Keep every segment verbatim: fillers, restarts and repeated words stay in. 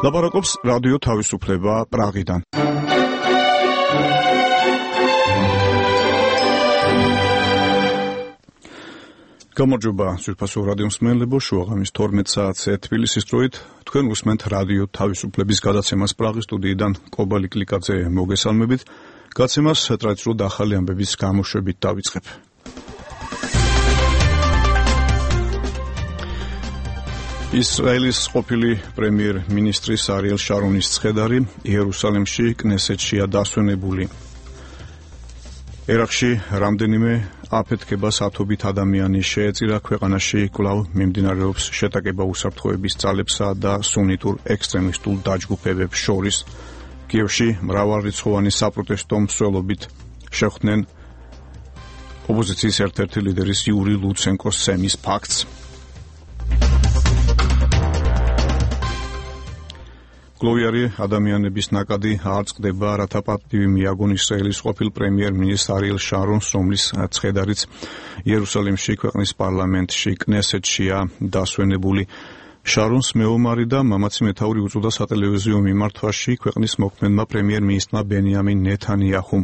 ლაპარაკობს რადიო თავისუფლება პრაღიდან. გამარჯობა სულფასო რადიო მსმენელებო, შუაღამის თორმეტ საათზე თბილისის დროით თქვენ უსმენთ რადიო თავისუფლების გადაცემას პრაღის სტუდიიდან კობალი კლიკაძე მოგესალმებით. გადაცემას ტრადიციულად ახალი ამბების გამოშვებით დავიწყებ. ისრაელის ყოფილი პრემიერ-მინისტრის არიელ შარონის ცხედარი იერუსალიმში კნესეთშია დასვენებული. ერაყში რამდენიმე აფეთქებას ათობით ადამიანი შეეწირა, ქვეყანაში კვლავ მიმდინარეობს შეტაკება უსაფრთხოების ძალებსა და სუნიტურ ექსტრემისტულ დაჯგუფებებს შორის. კიევში მრავალრიცხოვანი საპროტესტო მსვლელობით შეხვდნენ ოპოზიციის ერთ-ერთი ლიდერის იური ლუცენკოს სემის ფაქტს. გლოვიარი ადამიანების ნაკადი არ წყდება, რათა პატივი მიაგონ ისრაელის ყოფილ პრემიერ-მინისტრ არიელ შარონს, რომლის ცხედარიც იერუსალიმში ქვეყნის პარლამენტში კნესეთშია დასვენებული. შარონს მეომარი და მამაცი მეთაური უწოდა სატელევიზიო მიმართვაში ქვეყნის მოქმედმა პრემიერ-მინისტრმა ბენიამინ ნეთანიაჰუმ.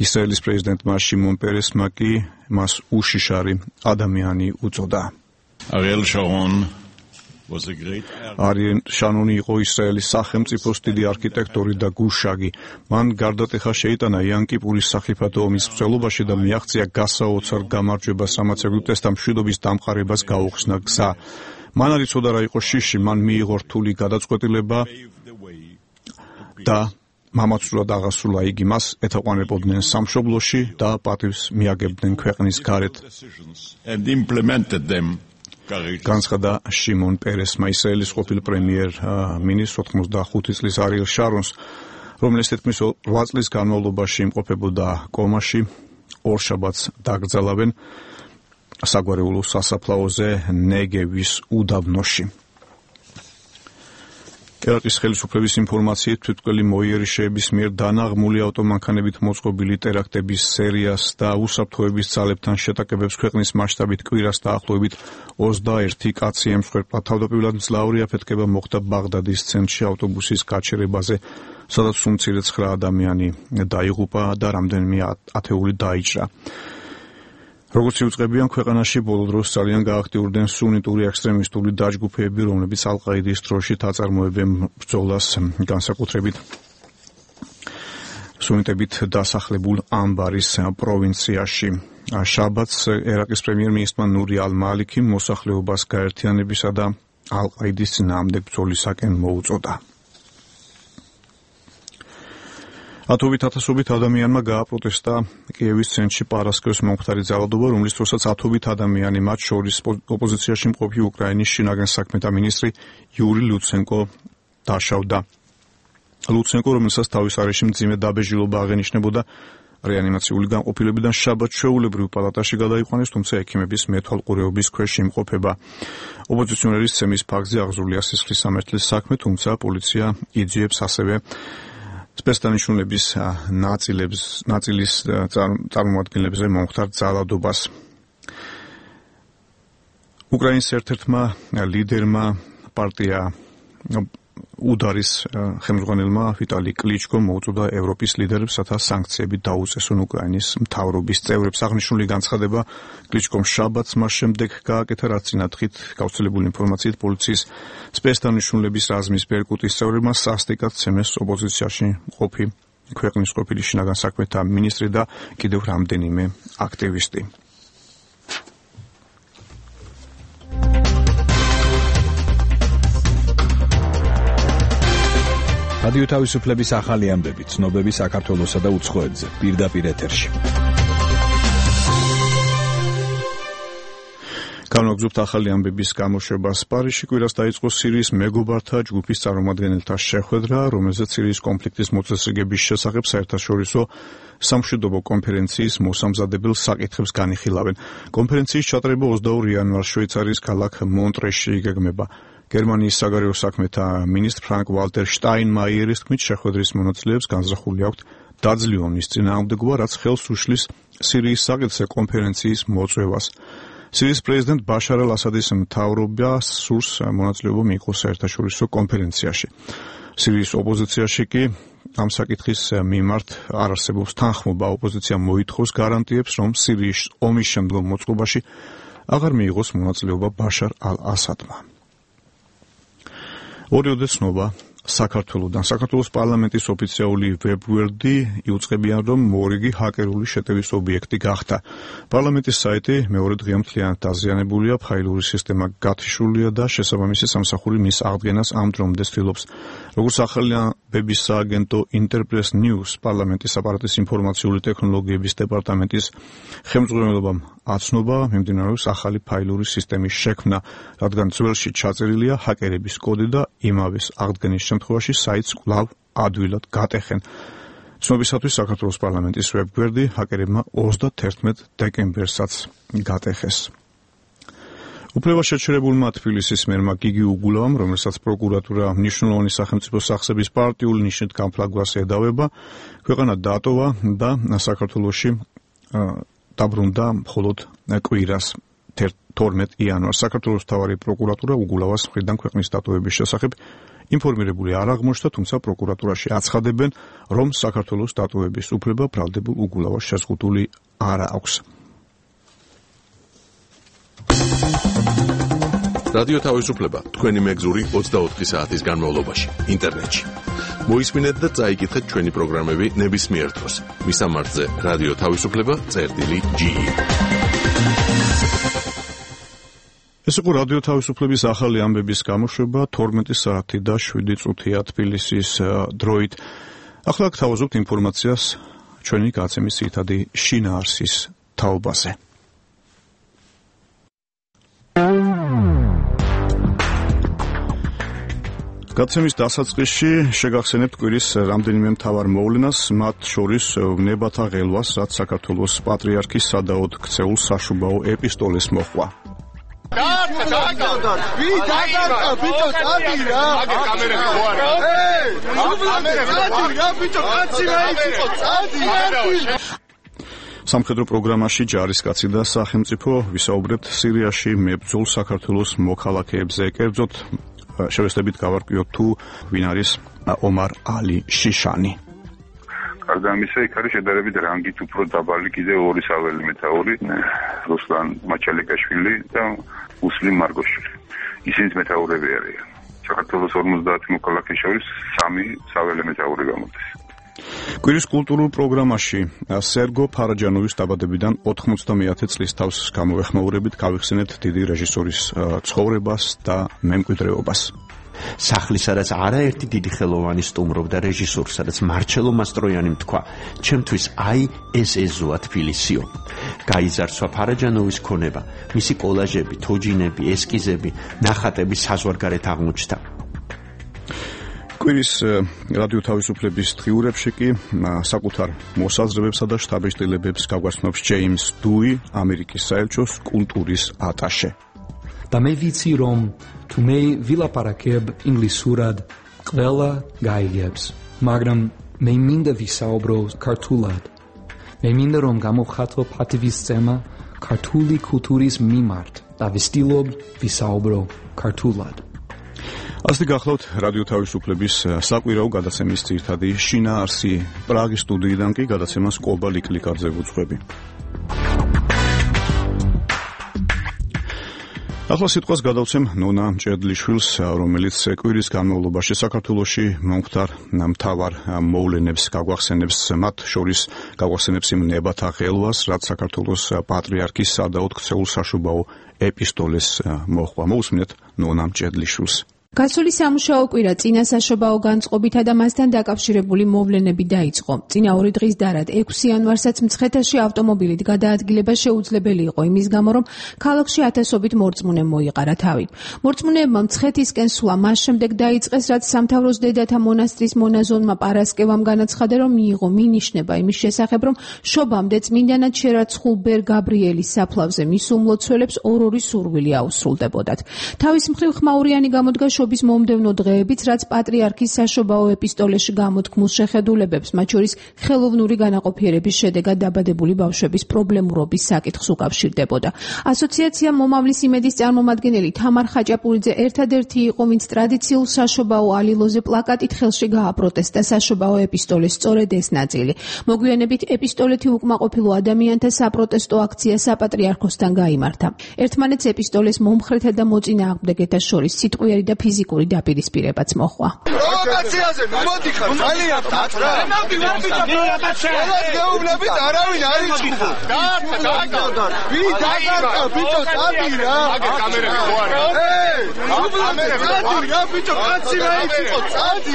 ისრაელის პრეზიდენტმა შიმონ პერესმა კი მას უშიშარი ადამიანი უწოდა. არიელ შარონ არიელ შარონი იყო ისრაელის სახელმწიფოს დიდი არქიტექტორი და გუშაგი. მან გარდატეხა შეიტანა იან-კიპურის სახიფათო ომის მსვლელობაში და მიაღწია გასაოცარ გამარჯვებას, რამაც ეგვიპტესთან მშვიდობის დამყარებას გაუხსნა გზა. მან არ იცოდა რა იყო შიში, მან მიიღო რთული გადაწყვეტილება და მამაცურად აღასრულა იგი. მას ეთაყვანებოდნენ სამშობლოში და პატივს მიაგებდნენ ქვეყნის გარეთ. განცხადა შიმონ პერესმა, ისრაელის ყოფილ პრემიერ-მინისტრს ოთხმოცდახუთი წლის არიელ შარონს, რომელიც თითქმის რვა წლის განმავლობაში იმყოფებოდა კომაში, ორშაბათს დაკრძალავენ საგვარეულო სასაფლაოზე ნეგევის უდაბნოში. ერაყის ხელისუფლების ინფორმაციით თვითმკვლელი მოიერიშეების მიერ დანაღმული ავტომანქანებით მოწყობილი ტერაქტების სერიას და უსაფრთხოების ძალებთან შეტაკებებს ქვეყნის მასშტაბით კვირას დაახლოებით ოცდაერთი კაცი ემსხვერპლა. თავდაპირველად მძლავრი აფეთქება მოხდა ბაღდადის ცენტრში ავტობუსის გაჩერებაზე, სადაც უმცირე ცხრა ადამიანი დაიღუპა და რამდენიმე ათეული დაიჭრა. როგორც იუწყებიან, ქვეყანაში ბოლო დროს ძალიან გააქტიურდნენ სუნიტური ექსტრემისტული დაჯგუფებები, რომლებიც ალ-ყაიდის დროშით აწარმოებენ ბრძოლას განსაკუთრებით სუნიტებით დასახლებულ ამბარის პროვინციაში. შაბათს ერაყის პრემიერ-მინისტრმა ნური ალ-მალიქიმ მოსახლეობას გაერთიანებისა და ალ-ყაიდის წინააღმდეგ ბრძოლისაკენ მოუწოდა. ათობით ათასობით ადამიანმა გააპროტესტა კიევის ცენტრში პარასკევს მომხდარი ძალადობა, რომლის დროსაც ათობით ადამიანი, მათ შორის ოპოზიციაში მყოფი უკრაინის შინაგან საქმეთა მინისტრი იური ლუცენკო დაშავდა. ლუცენკო, რომელსაც თავის არეში მძიმე დაბეჭდილობა აღენიშნებოდა, რეანიმაციული განყოფილებიდან შაბათს ჩვეულებრივ პალატაში გადაიყვანეს, თუმცა ექიმების მეთვალყურეობის ქვეშ იმყოფება. ოპოზიციონერის ცემის ფაქტზე აღზრულია სისხლის სამართლის საქმე, თუმცა პოლიცია იძიებს ასევე სპეცდანიშნულების ნაწილებს, ნაწილის წარმომადგენლებზე მომხდარ ძალადობას. უკრაინის ერთ-ერთმა ლიდერმა პარტია უდარის ხელმძღვანელმა ვიტალი კლიჩკომ მოუწოდა ევროპის ლიდერებს, რათა სანქციები დაუწესონ უკრაინის მთავრობის წევრებს. აღნიშნული განცხადება კლიჩკომ შაბათს მას შემდეგ გააკეთა, რაც წინათხრით გავრცელებული ინფორმაციით პოლიციის სპეცდანიშნულების რაზმის ბერკუტის წევრებმა სასტიკად ცემეს ოპოზიციაში მყოფი ქვეყნის ყოფილი შინაგან საქმეთა მინისტრი და კიდევ რამდენიმე აქტივისტი. რადიო თავისუფლების ახალი ამბები, ცნობები საქართველოსა და უცხოეთზე, პირდაპირ ეთერში. განვაგრძობთ ახალი ამბების გამოშვებას. პარიზში კვირას დაიწყო სირიის მეგობართა ჯგუფის წარმომადგენელთა შეხვედრა, რომელზეც სირიის კონფლიქტის მოწესრიგების შესახებ საერთაშორისო სამშვიდობო კონფერენციის მოსამზადებელ საკითხებს განიხილავენ. კონფერენციის ჩატარება ოცდაორი იანვარს შვეიცარიის ქალაქ მონტრეში იგეგმება. გერმანიის საგარეო საქმეთა მინისტრ ფრანკ ვალტერ შტაინმაიერის თქმით, შეხვედრის მონაწილეებს განზრახული აქვთ დაძლეონის წინააღმდეგობა, რაც ხელს უშლის სირიის საკითხზე კონფერენციის მოწვევას. სირიის პრეზიდენტ ბაშარ ალ-ასადის მთავრობა სურს მონაწილეობა მიიღოს საერთაშორისო კონფერენციაში. სირიის ოპოზიციაში კი ამ საკითხის მიმართ არ არსებობს თანხმობა. ოპოზიცია მოითხოვს გარანტიებს, რომ სირიის ომის შემდგომ მოწყობაში აღარ მიიღოს მონაწილეობა ბაშარ ალ-ასადმა. ორი ოდესნობა საქართველოდან. საქართველოს პარლამენტის ოფიციალური ვებგვერდი იუწყებიან, რომ მორიგი ჰაკერული შეტევის ობიექტი გახდა. პარლამენტის საიტი მეორე დღეა მთლიანად დაზიანებულია, ფაილური სისტემა გათიშულია და შესაბამისი სამსახური მის აღდგენას ამ დრომდე ცდილობს. როგორც ახალბების სააგენტო Interpress News პარლამენტის აპარატის ინფორმაციული ტექნოლოგიების დეპარტამენტის ხელმძღვანელობამ აცნობა მიმდინარეობს ახალი ფაილური სისტემის შექმნა, რადგან ძველში ჩაწერილია ჰაკერების კოდი და იმავეს აღდგენის შემთხვევაში საიტს კვლავ ადვილად გატეხენ. ცნობისათვის საქართველოს პარლამენტის ვებგვერდი ჰაკერებმა ოცდათერთმეტ დეკემბერსაც გატეხეს. უფლება შეჩერებულმა თბილისის მერმა გიგი უგულავამ, რომელსაც პროკურატურა მნიშვნელოვანი სახელმწიფო სახსების პარტიული ნიშნით გამფლაგვას ედავება, ქვეყანა დატოვა და საქართველოში დაბრუნდა მხოლოდ კვირას თორმეტ იანვარს. საქართველოს მთავარი პროკურატურა უგულავას მხრიდან ქვეყნის დატოვების შესახებ ინფორმირებული არ აღმოჩნდა, თუმცა პროკურატურაში აცხადებენ, რომ საქართველოს დატოვების უფლება ბრალდებულ უგულავას შეზღუდული არ აქვს. რადიო თავისუფლება თქვენი მეგზური ოცდაოთხი საათის განმავლობაში ინტერნეტში. მოისმინეთ და წაიკითხეთ ჩვენი პროგრამები ნებისმიერ დროს. მისამართზე რადიო თავისუფლება წერტილი ჯი. ეს იყო რადიო თავისუფლების ახალი ამბების გამოშვება თორმეტი საათი და შვიდი წუთია თბილისის დროით. ახლა გთავაზობთ ინფორმაციას ჩვენი გაცემის ძირითადი შინაარსის თაობაზე. გაცემის დასაწყისში შეგახსენებთ კვირის რამდენიმე მთავარ მოვლენას, მათ შორის ვნებათა ღელვას, რაც საქართველოს პატრიარქის სადაოდ ქცეულ საშუბაო ეპისტოლეს მოჰყვა. სამხედრო პროგრამაში ჯარისკაცი და სახელმწიფო ვისაუბრებთ სირიაში მებრძოლ საქართველოს მოქალაქეებზე, კერძოდ შევესწრებით გავარკვიოთ თუ ვინ არის ომარ ალი შიშანი. გარდა ამისა, იქ არის შედარებით რანგით უფრო დაბალი კიდე ორი საველე მეთაური, რუსლან მაჩალიკაშვილი და მუსლიმ მარგოშვილი. ისინიც მეთაურები არიან. საქართველოს ორმოცდაათი მოქალაქის შორის სამი საველე მეთაური გამოდის. კვირის კულტურულ პროგრამაში სერგო ფარაჯანოვის დაბადებიდან ოთხმოცდამეათე წლის თავს გამოვეხმაურებით გავიხსენეთ დიდი რეჟისორის ცხოვრებას და მემკვიდრეობას. სახლის სადაც არაერთი დიდი ხელოვანი სტუმრობდა რეჟისორს, სადაც მარჩელო მასტროიანი თქვა, ჩემთვის აი ეს ეზოა თბილისიო. გაიზარსვა ფარაჯანოვის ქონება, მისი კოლაჟები, თოჯინები, ესკიზები, ნახატები საზღვარგარეთ აღმოჩნდა. კვირის რადიო თავისუფლების დღიურებში კი საკუთარ მოსაზრებებსა და შტაბ-შტილებებს გაგვაცნობს ჯეიმს დუი, ამერიკის საელჩოს კულტურის ატაშე. და მე ვიცი, რომ თუ მე ვილაპარაკებ ინგლისურად, ყველა გაიგებს, მაგრამ მე მინდა ვისაუბრო ქართულად. მე მინდა რომ გამოვხატო პატივისცემა ქართული კულტურის მიმართ და ვისtildeობ ვისაუბრო ქართულად. ასეთი გახლავთ რადიო თავისუფლების საკვირაო გადაცემის ძირითადი შინაარსი. პრაღის სტუდიიდან კი გადაცემას კობა ლიკლიკაძე ვუძღვები. ახლა სიტყვას გადავცემ ნონა მჭედლიშვილს, რომელიც კვირის განმავლობაში საქართველოში მომხდარ მთავარ მოვლენებს გაგვახსენებს, მათ შორის გაგვახსენებს იმ ნებათა ღელვას, რაც საქართველოს პატრიარქის სადაოდ ქცეულ საშუბაო ეპისტოლეს მოჰყვა. მოусმინეთ ნონა მჭედლიშვილს. გასული სამუშაო კვირა წინა საშობაო განწყობითა და მასთან დაკავშირებული მოვლენები დაიწყო. წინა ორი დღის დარად ექვსი იანვარსაც მცხეთაში ავტომობილით გადაადგილება შეუძლებელი იყო იმის გამო, რომ ქალაქში ათასობით მორწმუნე მოიყარა თავი. მორწმუნეებმა მცხეთისკენ სვლა მას შემდეგ დაიწყეს, რაც სამთავროს დედათა მონასტრის მონაზონმა პარასკევამ განაცხადა, რომ მიიღო მინიშნება იმის შესახებ, რომ შობამდე წმინდანად შერაცხულ ბერ გაბრიელის საფლავზე მის უმლოცველებს ორ-ორი სურვილი აუსრულდებოდათ. თავის მხრივ ხმაურიანი გამოდგა ბავშვობის მომდევნო დღეებიც, რაც პატრიარქის საშობაო ეპისტოლეში გამოთქმულ შეხედულებებს, მათ შორის ხელოვნური განაყოფიერების შედეგად დაბადებული ბავშვების პრობლემურობის საკითხს უკავშირდებოდა. ასოციაცია მომავლის იმედის წარმომადგენელი თამარ ხაჭაპურიძე ერთადერთი იყო, ვინც ტრადიციულ საშობაო ალილოზე პლაკატით ხელში გააპროტესტა საშობაო ეპისტოლეს სწორედ ეს ნაწილი. მოგვიანებით ეპისტოლეთი უკმაყოფილო ადამიანთა საპროტესტო აქცია საპატრიარქოსთან გაიმართა. ერთმანეთს ეპისტოლეს მომხრეთა და მოწინააღმდეგეთა შორის სიტყვიერი და ფიზიკური დაპირისპირებაც მოჰყვა. პროვოკაციაზე მომოდიხარ ძალიან დაწრა. გეუბნებით არავინ არ იწვიდა. დაარტყა, დაარტყა. ვი დაარტყა, ბიჭო, წადი რა. აგერ კამერები ხო არა? ე, კამერები წადი რა, ბიჭო, კაცი რა იყო, წადი.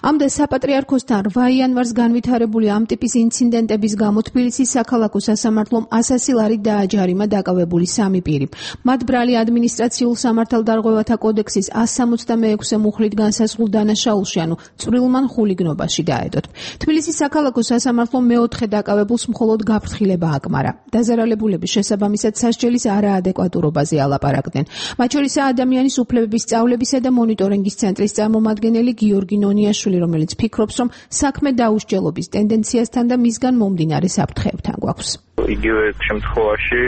ამდე საპატრიარქოსთან რვა იანვარს განვითარებული ამ ტიპის ინციდენტების გამო თბილისის საქალაქო სასამართლომ ასასი ლარით დააჯარიმა დაკავებული სამი პირი. მათ ბრალი ადმინისტრაციულ სამართალდარღვევათა კოდექსის ას სამოცდამეექვსე მუხლით განსაზღვრულ დანაშაულში, ანუ წვრილმან ხულიგნობაში დაედოთ. თბილისის საქალაქო სასამართლომ მეოთხე დაკავებულს მხოლოდ გაფრთხილება აკმარა. დაზარალებულების შესაბამისად სასჯელის არაადეკვატურობაზე ალაპარაკდნენ. მათ შორისაა ადამიანის უფლებების სწავლებისა და მონიტორინგის ცენტრის წარმომადგენელი გიორგი ნონიაშვილი, რომელიც ფიქრობს, რომ საქმე დაუსჯელობის ტენდენციასთან და მისგან მომდინარე საფრთხეებთან გვაქვს. იგივე შემთხვევაში,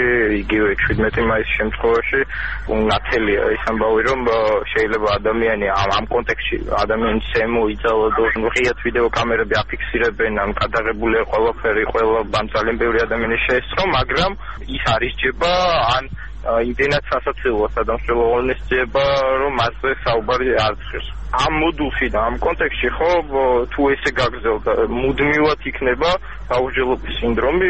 იგივე შვიდმეტი მაისის შემთხვევაში ნათელია ის ამბავი, რომ შეიძლება ადამიანი ამ კონტექსტში ადამიანის ემო იწალოდო, ღიად ვიდეო კამერები აფიქსირებენ, ან გადაღებულია ყველაფერი, ყველა ძალიან ბევრი ადამიანის შეესწრო, მაგრამ ის არ ისჯება, ან იმდენად სასაცილოა სადამსჯელო ღონისძიება, რომ მასზე საუბარი არ ცხირს. ამ მოდულში და ამ კონტექსტში ხო თუ ესე გაგრძელდა, მუდმივად იქნება დაუსჯელობის სინდრომი.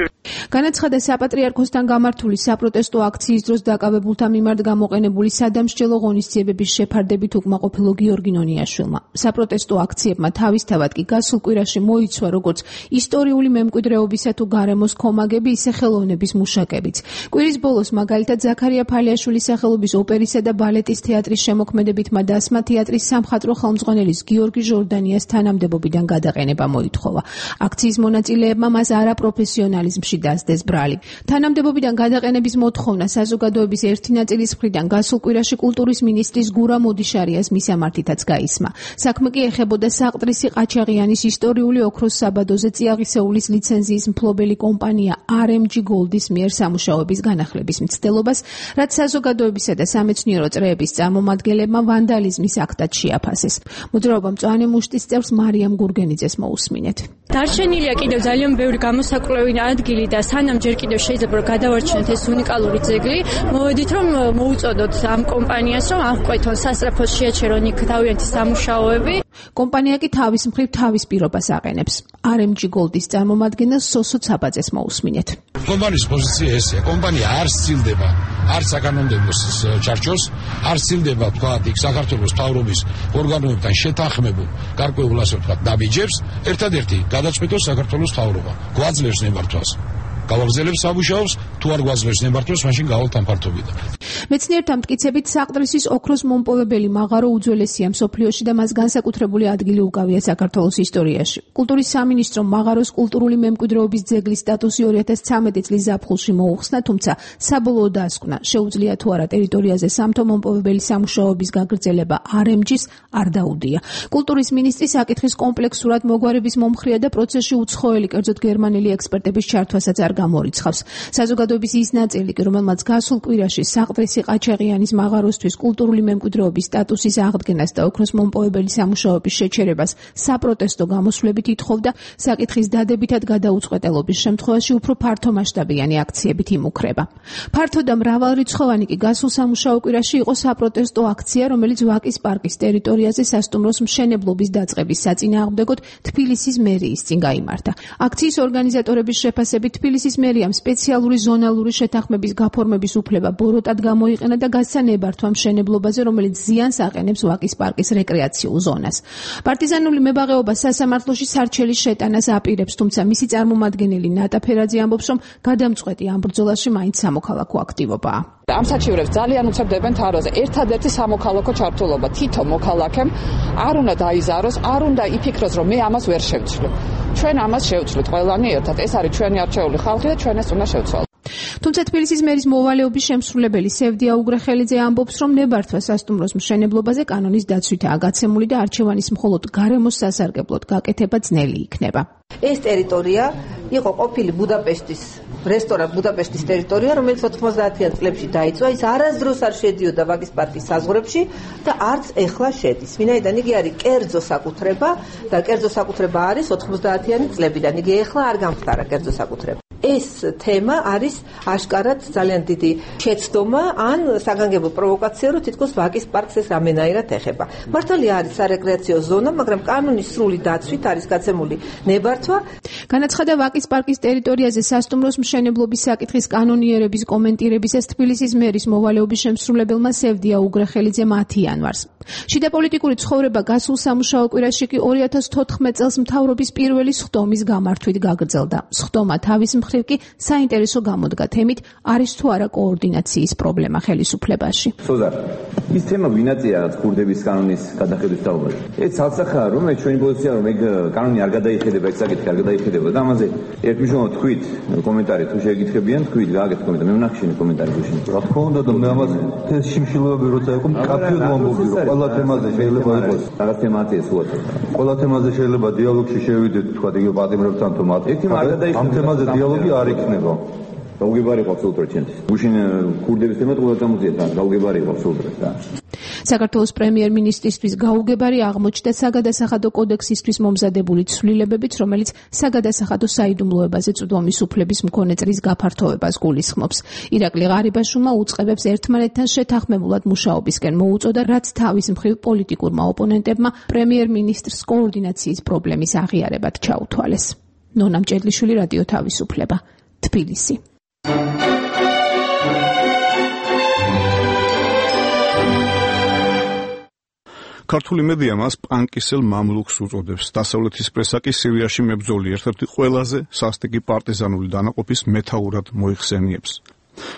განაცხადა საპატრიარქოსთან გამართული საპროტესტო აქციის დროს დაკავებულთა მიმართ გამოყენებული სადამსჯელო ღონისძიებების შეფარდებით უკმაყოფილო გიორგი ნონიაშვილმა. საპროტესტო აქციებმა თავისთავად კი გასულ კვირაში მოიცვა როგორც ისტორიული მემკვიდრეობისა თუ გარემოს ქომაგები, ისე ხელოვნების მუშაკებიც. კვირის ბოლოს მაგალითად ზაქარია ფალიაშვილის სახელობის ოპერისა და ბალეტის თეატრის შემოქმედებითმა დასმა თეატრის სამხატვრო ხელმძღვანელის გიორგი ჟორდანიას თანამდებობიდან გადაყენება მოითხოვა. აქციის მონაწილეებმა მას არაპროფესიონალიზმში დასდეს ბრალი. თანამდებობიდან გადაყენების მოთხოვნა საზოგადოების ერთი ნაწილის მხრიდან გასულ კვირაში კულტურის მინისტრის გურა მოდიშარიას მისამართითაც გაისმა. საქმე კი ეხებოდა საყდრისი ყაჩაღიანის ისტორიული ოქროს საბადოზე წიაღისეულის ლიცენზიის მფლობელი კომპანია არ ემ ჯი Gold-ის მიერ სამუშაოების განახლების მცდელობას, რაც საზოგადოებისა და სამეცნიერო წრეების წარმომადგენლებმა ვანდალიზმის აქტად შეაფასეს. მოძრაობა მწვანე მუშტის წევრს მარიამ გურგენიძეს მოусმინეთ. დარჩენილია კიდევ ძალიან ბევრი გამოსაკვლევი ადგილი და სანამ ჯერ კიდევ შეიძლება რომ გადავარჩინოთ ეს უნიკალური ძეგლი, მოვედით რომ მოუწოდოთ ამ კომპანიას, რომ აღკვეთონ სასწრაფოს შეაჩერონ იქ თავიანთი სამუშაოები. კომპანია კი თავის მხრივ თავის პირობას აყენებს. არ ემ ჯი Gold-ის წარმომადგენელს სოსო ცაბაძეს მოусმინეთ. კომპანიის პოზიცია ესეა. კომპანია არ სცილდება არ საკანონმდებლო ჩარჩოს, არ სცილდება თქვა იქ საქართველოს მთავრობის ორგანოებთან შეთანხმებულ გარკვეულ ასე ვთქვათ დაბიჯებს, ერთადერთი გადაწყვეტოს საქართველოს მთავრობა. გვაძლევს ნებართვას. გავაგზავნებს სამუშაოს, თუ არ გვაძლევს ნებართვას, მაშინ გავალთ ამ ფართობიდან. მეცნიერთა მტკიცებით საყდრისის ოქროს მომპოვებელი მაღარო უძველესია მსოფლიოში და მას განსაკუთრებული ადგილი უკავია საქართველოს ისტორიაში. კულტურის სამინისტრომ მაღაროს კულტურული მემკვიდრეობის ძეგლის სტატუსი ორი ათას ცხრამეტი წლის ზაფხულში მოუხსნა, თუმცა საბოლოოდ დასკვნა, შეუძლია თუ არა ტერიტორიაზე სამთო მომპოვებელი სამუშაოების გაგრძელება არ ემ ჯის არ დაუდია. კულტურის მინისტრი საკითხის კომპლექსურად მოგვარების მომხრია და პროცესში უცხოელი, კერძოდ გერმანელი ექსპერტების ჩართვასაც არ გამორიცხავს. საზოგადოების ის ნაწილი, რომელმაც გასულ კვირაში საყდრისი ყაჩაღიანის მაღაროსთვის კულტურული მემკვიდრეობის სტატუსის აღდგენას და ოქროს მომპოვებელი სამუშაოების შეჩერებას საპროტესტო გამოსვლებით ითხოვდა, საკითხის დადებითად გადაუწყვეტელობის შემთხვევაში უფრო ფართომასშტაბიანი აქციებით იმუქრება. ფართო და მრავალრიცხოვანი კი გასულ სამუშაო კვირაში იყო საპროტესტო აქცია, რომელიც ვაკის პარკის ტერიტორიაზე სასტუმროს მშენებლობის დაწყების საწინააღმდეგოდ თბილისის მერიის წინ გაიმართა. აქციის ორგანიზატორების შეფასებით თბილისის მერიამ სპეციალური ზონალური შეთანხმების გაფორმების უფლება ბოროტად გამოიყენა და გასცა ნებართვა მშენებლობაზე, რომელიც ზიანს აყენებს ვაკის პარკის რეკრეაციულ ზონას. პარტიზანული მებაღეობა სასამართლოში სარჩელის შეტანას აპირებს, თუმცა მისი წარმომადგენელი ნატა ფერაძე ამბობს, რომ გადამწყვეტი ამ ბრძოლაში მაინც სამოქალაქო აქტივობაა. ამ საჩივრებს ძალიან უცებდებენ თაროზე. ერთადერთი სამოქალაქო ჩართულობა თითო მოქალაქემ არ უნდა დაიზაროს, არ უნდა იფიქროს, რომ მე ამას ვერ შევცვლი. ჩვენ ამას შევცვლით ყველანი ერთად. ეს არის ჩვენი არჩეული ხალხი და ჩვენ ეს უნდა შევცვალოთ. თუმცა თბილისის მერის მოვალეობის შემსრულებელი სევდია უგრეხელიძე ამბობს, რომ ნებართვა სასტუმროს მშენებლობაზე კანონის დაცვითაა გაცემული და არჩევანის მხოლოდ გარემოს სასარგებლოდ გაკეთება ძნელი იქნება. ეს ტერიტორია იყო ყოფილი ბუდაპეშტის რესტორან ბუდაპეშტის ტერიტორია, რომელიც ოთხმოცდაათიან წლებში დაიწვა, ის არასდროს არ შედიოდა ვაკის პარკის საზღვრებში და არც ეხლა შედის. ვინაიდან იგი არის კერძო საკუთრება და კერძო საკუთრება არის ოთხმოცდაათიანი წლებიდან. იგი ეხლა არ გამხდარა კერძო საკუთრება. ეს თემა არის აშკარად ძალიან დიდი შეცდომა ან საგანგებო პროვოკაცია, რომ თითქოს ვაკის პარკს ეს რამენაირად ეხება. მართალია არის სარეკრეაციო ზონა, მაგრამ კანონის სრული დაცვით არის გაცემული ნებართვა. განაცხადა ვაკის პარკის ტერიტორიაზე სასტუმროს მშენებლობის საკითხის კანონიერების კომენტირებისას თბილისის მერის მოვალეობის შემსრულებელმა სევდია უგრეხელიძემ ათი იანვარს. შიდა პოლიტიკური ცხოვრება გასულ სამუშაო კვირაში კი ორი ათას თოთხმეტ წელს მთავრობის პირველი სხდომის გამართვით გაგრძელდა. სხდომა თავის მხრივ კი საინტერესო გამოდგა თემით, არის თუ არა კოორდინაციის პრობლემა ხელისუფლებაში. სოზარ, ის თემა ვინაცია რაც ქურდების კანონის გადახედვის თაობაზე. ეს ცალსახაა, რომ ეს ჩვენი პოზიცია, რომ ეგ კანონი არ გადაიხედება, ეს საკითხი არ გადაიხედება და ამაზე ერთმნიშვნელოვნად თქვით კომენტარი თუ შეგიკითხებიან, თქვით გააკეთეთ კომენტარი, მე ვნახშინე კომენტარი გუშინ. რა თქმა უნდა და მე ამაზე ეს შიმშილობები როცა იყო მკაფიოდ ვამბობდი, რომ ყველა თემაზე შეიძლება იყოს. რაღაც თემატია სულაც. ყველა თემაზე შეიძლება დიალოგში შევიდეთ, თქვა იგივე პატიმრებთან თუ მათ. ამ თემაზე დიალოგი არ იქნება. გაუგებარი იყო აბსოლუტურად ჩემთვის. გუშინ ქურდების თემა ყველა წამოწია და გაუგებარი იყო აბსოლუტურად და. საქართველოს პრემიერ-მინისტრისთვის გაუგებარი აღმოჩნდა საგადასახადო კოდექსისთვის მომზადებული ცვლილებებით, რომელიც საგადასახადო საიდუმლოებაზე წვდომის უფლების მქონე წრის გაფართოვებას გულისხმობს. ირაკლი ღარიბაშვილმა უწყებებს ერთმანეთთან შეთანხმებულად მუშაობისკენ მოუწოდა, რაც თავის მხრივ პოლიტიკურმა ოპონენტებმა პრემიერ-მინისტრს კოორდინაციის პრობლემის აღიარებად ჩაუთვალეს. ნონა მჭედლიშვილი, რადიო თავისუფლება, თბილისი. ქართული მედია მას პანკისელ მამლუქს უწოდებს. დასავლეთის პრესა კი სირიაში მებრძოლი ერთ-ერთი ყველაზე სასტიკი პარტიზანული დანაყოფის მეთაურად მოიხსენიებს.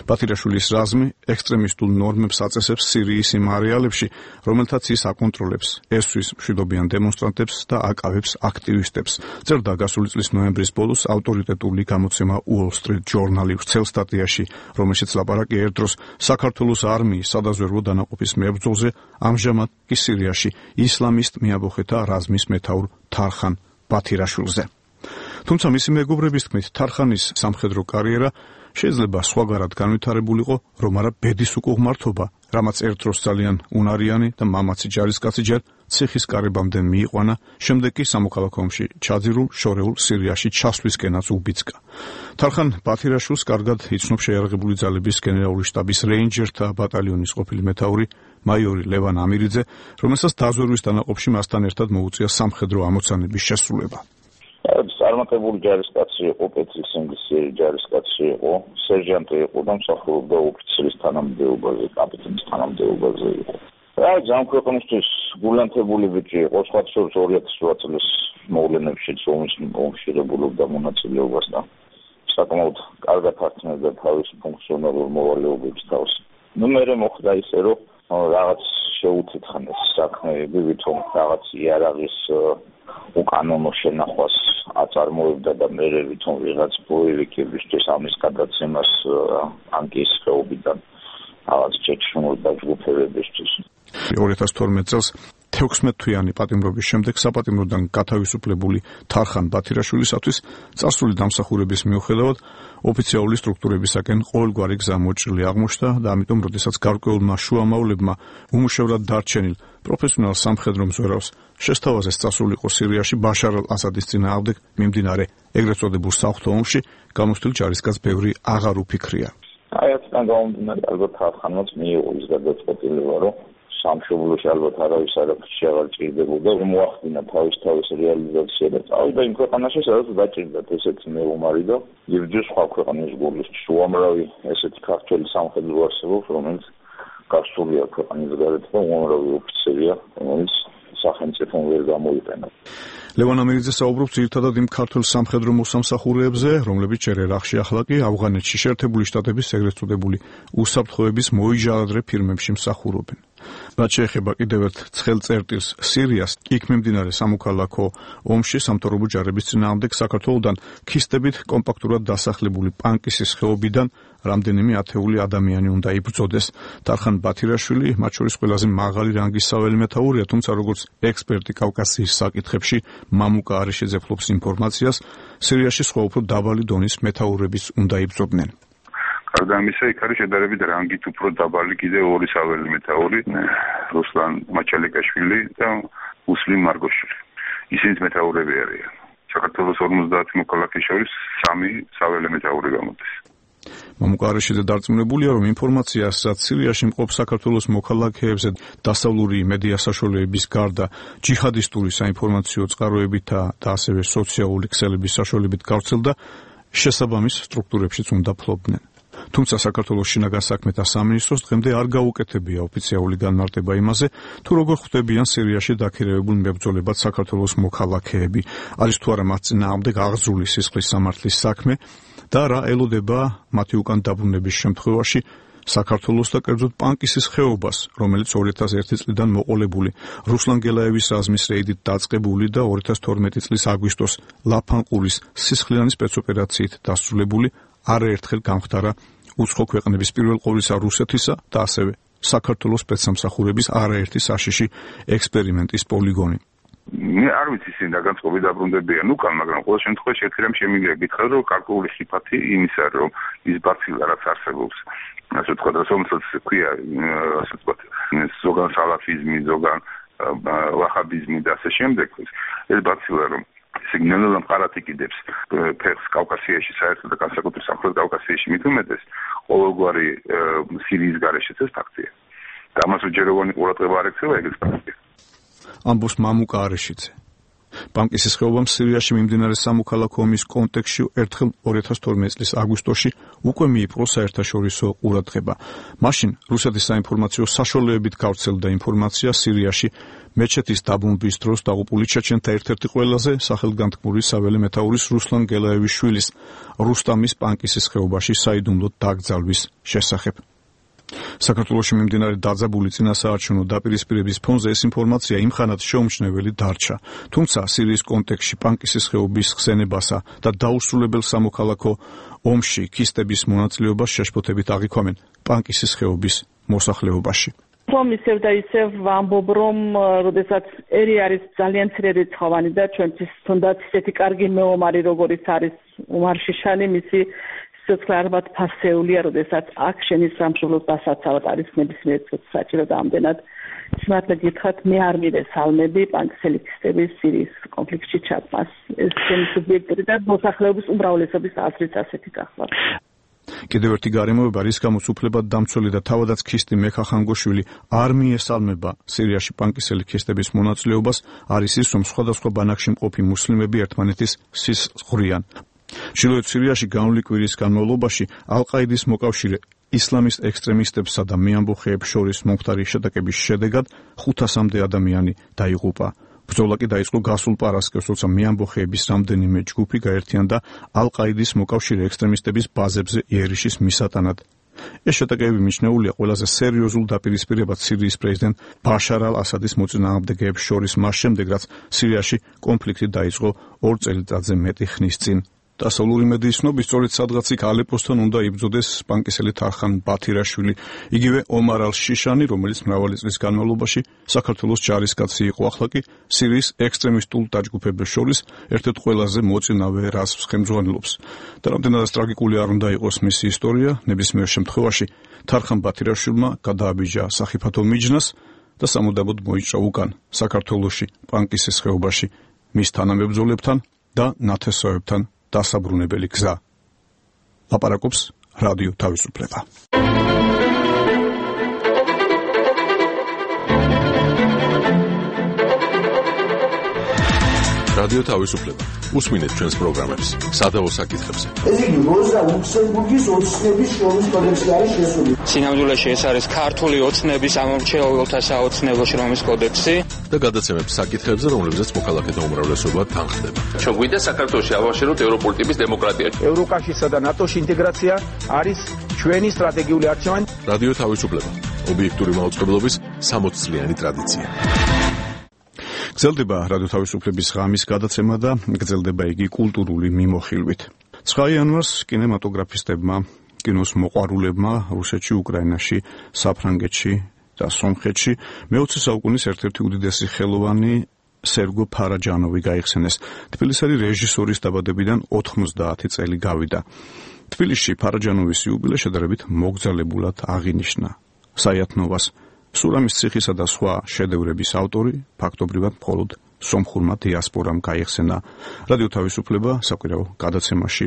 ბათირაშვილის რაზმი ექსტრემისტულ ნორმებს აწესებს სირიის იმ არეალებში, რომელთაც ის აკონტროლებს, ესვის მშვიდობიან დემონსტრანტებს და აკავებს აქტივისტებს. წერდა გასული წლის ნოემბრის ბოლოს ავტორიტეტული გამოცემა Wall Street Journal-ი ვრცელ სტატიაში, რომელშიც ლაპარაკი ერთ დროს საქართველოს არმიის სადაზვერვო დანაყოფის მებრძოლზე, ამჟამად კი სირიაში ისლამისტ მეაბოხეთა რაზმის მეთაურ თარხან ბათირაშვილზე. თუმცა მისი მეგობრების თქმით, თარხანის სამხედრო კარიერა შეიძლება სხვაგარად განვითარებულიყო, რომ არა ბედის უკუღმართობა, რამაც ერთ დროს ძალიან უნარიანი და მამაცი ჯარისკაცი ჯერ ციხის კარებამდე მიიყვანა, შემდეგ კი სამოქალაქო ომში ჩაძირულ შორეულ სირიაში ჩასვლისკენაც უბიძგა. თარხან ბათირაშვილს კარგად იცნობს შეიარაღებული ძალების გენერალური შტაბის რეინჯერთა ბატალიონის ყოფილი მეთაური მაიორი ლევან ამირიძე, რომელსაც დაზვერვის დანაყოფში მასთან ერთად მოუწია სამხედრო ამოცანების შესრულება. წარმატებული ჯარისკაცი იყო, პეტრის ინგლისელი ჯარისკაცი იყო, სერჟანტი იყო და მსახურობდა ოფიცრის თანამდებობაზე, კაპიტანის თანამდებობაზე იყო. რა ძალიან ქვეყნისთვის გულანთებული ბიჭი იყო, სხვათა შორის ორი ათას ოთხ წლის მოვლენებშიც ომის მომხშირებულობდა მონაწილეობას და საკმაოდ კარგად ართმევდა თავის ფუნქციონალურ მოვალეობებს თავს. ნუ მერე მოხდა ისე, რომ რაღაც შეუთითხნეს საქმეები, ვითომ რაღაც იარაღის უკანონო შენახვას აწარმოებდა და მერე ვითომ ვიღაც ბოევიკებისთვის ამის გადაცემას ანკის ხეობიდან რაღაც ჩეჩნურ დაჯგუფებებისთვის. ორი ათას თორმეტ წელს თექვსმეტ თვიანი პატიმრობის შემდეგ საპატიმროდან გათავისუფლებული თარხან ბათირაშვილისათვის წარსული დამსახურების მიუხედავად ოფიციალური სტრუქტურებისაკენ ყოველგვარი გზა მოჭრილი აღმოჩნდა და ამიტომ როდესაც გარკვეულმა შუამავლებმა უმუშევრად დარჩენილ პროფესიონალ სამხედრო მზვერავს შესთავაზეს წასულიყო სირიაში ბაშარ ალ-ასადის წინააღმდეგ მიმდინარე ეგრეთ წოდებულ საღვთო ომში, გამოსთილ ჯარისკაც ბევრი აღარ უფიქრია. აი აქედან გამომდინარე, ალბათ თარხანმაც მიიღო ის გადაწყვეტილება, რომ სამშობლოში ალბათ არავის არაფერში აღარ ჭირდებოდა, რომ მოახდინა თავის თავის რეალიზაცია და წავიდა იმ ქვეყანაში, სადაც დაჭირდათ ესეთი მეომარი და იბრძვის სხვა ქვეყნის გულისთვის. უამრავი ესეთი ქართველი სამხედრო არსებობს, რომელიც გასულია ქვეყნის გარეთ და უამრავი ოფიცერია, რომელიც სახელმწიფომ ვერ გამოიყენა. ლევან ამირიძე საუბრობს ძირითადად იმ ქართულ სამხედრო მოსამსახურეებზე, რომლებიც ჯერ ერაყში, ახლა კი ავღანეთში შეერთებული შტატების ეგრეთ წოდებული უსაფრთხოების მოიჟაადრე ფირმებში მსახურობენ. რაც შეეხება კიდევ ერთ ცხელ წერტილს სირიას, იქ მიმდინარე სამოქალაქო ომში სამთავრობო ჯარების წინააღმდეგ საქართველოსთან ქისტებით კომპაქტურად დასახლებული პანკისის ხეობიდან რამდენიმე ათეული ადამიანი უნდა იბრძოდეს. თარხან ბათირაშვილი მათ შორის ყველაზე მაღალი რანგის საველე მეთაურია, თუმცა როგორც ექსპერტი კავკასიის საკითხებში მამუკა არიშიძე ფლობს ინფორმაციას, სირიაში სხვა უფრო დაბალი დონის მეთაურებიც უნდა იბრძოდნენ. გარდა ამისა, იქ არის შედარებით რანგით უფრო დაბალი კიდევ ორი საველე მეთაური, რუსლან მაჩალიკაშვილი და უსლიმ მარგოშვილი. ისინიც მეთაურები არიან. საქართველოს ორმოცდაათი მოქალაქის შორის სამი საველე მეთაური გამოდის. მამუკა არიშიძე დარწმუნებულია, რომ ინფორმაციას, რაც სირიაში მყოფ საქართველოს მოქალაქეებზე დასავლური მედია საშუალებების გარდა ჯიჰადისტური საინფორმაციო წყაროებითა და ასევე სოციალური ქსელების საშუალებით გავრცელდა, შესაბამის სტრუქტურებშიც უნდა ფლობდნენ. თუმცა საქართველოს შინაგან საქმეთა სამინისტროს დღემდე არ გაუკეთებია ოფიციალური განმარტება იმაზე, თუ როგორ ხვდებიან სირიაში დაქირავებულ მებრძოლებად საქართველოს მოქალაქეები, არის თუ არა მათ წინააღმდეგ აღძრული სისხლის სამართლის საქმე და რა ელოდება მათი უკან დაბრუნების შემთხვევაში საქართველოს და კერძოდ პანკისის ხეობას, რომელიც ორი ათას ერთი წლიდან მოყოლებული, რუსლან გელაევის რაზმის რეიდით დაწყებული და ორი ათას თორმეტი წლის აგვისტოს ლაფანყურის სისხლიანი სპეცოპერაციით დასრულებული, არაერთხელ გამხდარა უცხო ქვეყნების პირველ ყოვლისა რუსეთისა და ასევე საქართველოს სპეცსამსახურების არაერთი საშიში ექსპერიმენტის პოლიგონი. მე არ ვიცი ისინი რა განწყობი დაბრუნდებიან უკან, მაგრამ ყოველ შემთხვევაში ერთერამ შემიძლია გითხრათ, რომ გარკვეული ხიფათი იმისა, რომ ის ბაცილა რაც არსებობს, ასე ვთქვათ, რომელსაც ქვია, ასე ვთქვათ, ზოგან სალაფიზმი, ზოგან ვაჰაბიზმი და ასე შემდეგ, ეს ბაცილა რომ სიგნალურ მყარად იკიდებს ფეხს კავკასიაში, საერთოდ და განსაკუთრებით სამხრეთ კავკასიაში მით უმეტეს, ყოველგვარი სირიის გარეშეც ეს ფაქტია. და ამას უჯეროვანი ყურადღება არ ექცევა ეგრეთ ფაქტია. ამბობს მამუკა არიშიძე. პანკისის ხეობამ სირიაში მიმდინარე სამოქალაქო ომის კონტექსტში ერთხელ ორი ათას თორმეტი წლის აგვისტოში უკვე მიიპყრო საერთაშორისო ყურადღება. მაშინ რუსეთის საინფორმაციო საშუალებებით გავრცელდა ინფორმაცია სირიაში მეჩეთის დაბომბვის დროს დაღუპული ჩეჩენთა ერთ-ერთი ყველაზე სახელგანთქმული საველე მეთაურის რუსლან გელაევის შვილის რუსტამის პანკისის ხეობაში საიდუმლოდ დაკრძალვის შესახებ. საქართველოში მიმდინარე დაძაბული წინასაარჩევნო დაპირისპირების ფონზე ეს ინფორმაცია იმხანად შეუმჩნეველი დარჩა. თუმცა სირიის კონტექსტში პანკისის ხეობის ხსენებასა და დაუსრულებელ სამოქალაქო ომში ქისტების მონაწილეობას შეშფოთებით აღიქვამენ პანკისის ხეობის მოსახლეობაში. რომ ისევ და ისევ ვამბობ, რომ როდესაც ერი არის ძალიან მცირე რიცხოვანი და ჩვენთვის თუნდაც ისეთი კარგი მეომარი, როგორიც არის უმარ შიშანი, მისი სიცოცხლე არბად ფასეულია, როდესაც აქ შენის სამშობლოს დასაცავად არის ნებისმიერ წუთს საჭირო და ამდენად სიმართლე გითხრათ, მე არ მივეს ალმები პანკისელიქისტების სირიის კონფლიქტში ჩაბმას. ეს ჩემი სუბიექტური და მოსახლეობის უმრავლესობის აზრით ასეთი გახლავთ. კიდევ ერთი გარემოება, რის გამოც უფლებად დამცველი და თავადაც ქისტი მექა ხანგოშვილი არ მიესალმება სირიაში პანკისელი ქისტების მონაწილეობას, არის ის, რომ სხვადასხვა ბანაკში მყოფი მუსლიმები ერთმანეთის სისხლს ხვრიან. ჩრდილოეთ სირიაში განვლი კვირის განმავლობაში ალ-ყაიდის მოკავშირე ისლამისტ ექსტრემისტებსა და მეამბოხეებს შორის მომხდარი შეტაკების შედეგად ხუთასამდე ადამიანი დაიღუპა. ბრძოლა კი დაიწყო გასულ პარასკევს, როცა მეამბოხეების რამდენიმე ჯგუფი გაერთიანდა ალ-ყაიდის მოკავშირე ექსტრემისტების ბაზებზე იერიშის მისატანად. ეს შეტაკები მიჩნეულია ყველაზე სერიოზულ დაპირისპირებად სირიის პრეზიდენტ ბაშარ ალ-ასადის მოწინააღმდეგეებს შორის მას შემდეგ, რაც სირიაში კონფლიქტი დაიწყო ორ წელიწადზე მეტი ხნის წინ. დასავლური მედიის ცნობით, სწორედ სადღაც იქ ალეპოსთან უნდა იბრძოდეს პანკისელი თარხან ბათირაშვილი, იგივე ომარ ალ-შიშანი, რომელიც მრავალი წლის განმავლობაში საქართველოს ჯარისკაცი იყო, ახლა კი სირიის ექსტრემისტულ დაჯგუფებებს შორის ერთ-ერთ ყველაზე მოწინავე რაზმს ხელმძღვანელობს. და რამდენადაც ტრაგიკული არ უნდა იყოს მისი ისტორია, ნებისმიერ შემთხვევაში თარხან ბათირაშვილმა გადააბიჯა სახიფათო მიჯნას და სამუდამოდ მოიჭრა უკან საქართველოში პანკისის ხეობაში მის თანამებრძოლებთან და ნათესავებთან დასაბრუნებელი გზა. ლაპარაკობს რადიო თავისუფლება. რადიო თავისუფლება. უსმინეთ ჩვენს პროგრამებს სადავო საკითხებზე. ეს იგი როზა ლუქსემბურგის ოცნების შრომის კოდექსი არის შესული. სინამდვილეში ეს არის ქართული ოცნების ამომრჩეველთა საოცნებო შრომის კოდექსი და გადაცემებს საკითხებზე, რომლებზეც მოქალაქეთა უმრავლესობა თანხდება. ჩვენ გვინდა საქართველოში ავაშეროთ ევროპული ტიპის დემოკრატია. ევროკავშირსა და ნატოში ინტეგრაცია არის ჩვენი სტრატეგიული არჩევანი. რადიო თავისუფლება. ობიექტური მაუწყებლობის სამოცი წლიანი ტრადიცია. გრძელდება რადიო თავისუფლების ღამის გადაცემა და გრძელდება იგი კულტურული მიმოხილვით. ცხრა იანვარს კინემატოგრაფისტებმა, კინოს მოყვარულებმა რუსეთში, უკრაინაში, საფრანგეთში და სომხეთში მეოცე საუკუნის ერთ-ერთი უდიდესი ხელოვანი სერგო ფარაჯანოვი გაიხსენეს. თბილისელი რეჟისორის დაბადებიდან ოთხმოცდაათი წელი გავიდა. თბილისში ფარაჯანოვის იუბილე შედარებით მოგზალებულად აღინიშნა. საიათნოვას, სურამის ციხისა და სხვა შედევრების ავტორი ფაქტობრივად მხოლოდ სომხურმა დიასპორამ გაიხსენა. რადიო თავისუფლება საკვირაო გადაცემაში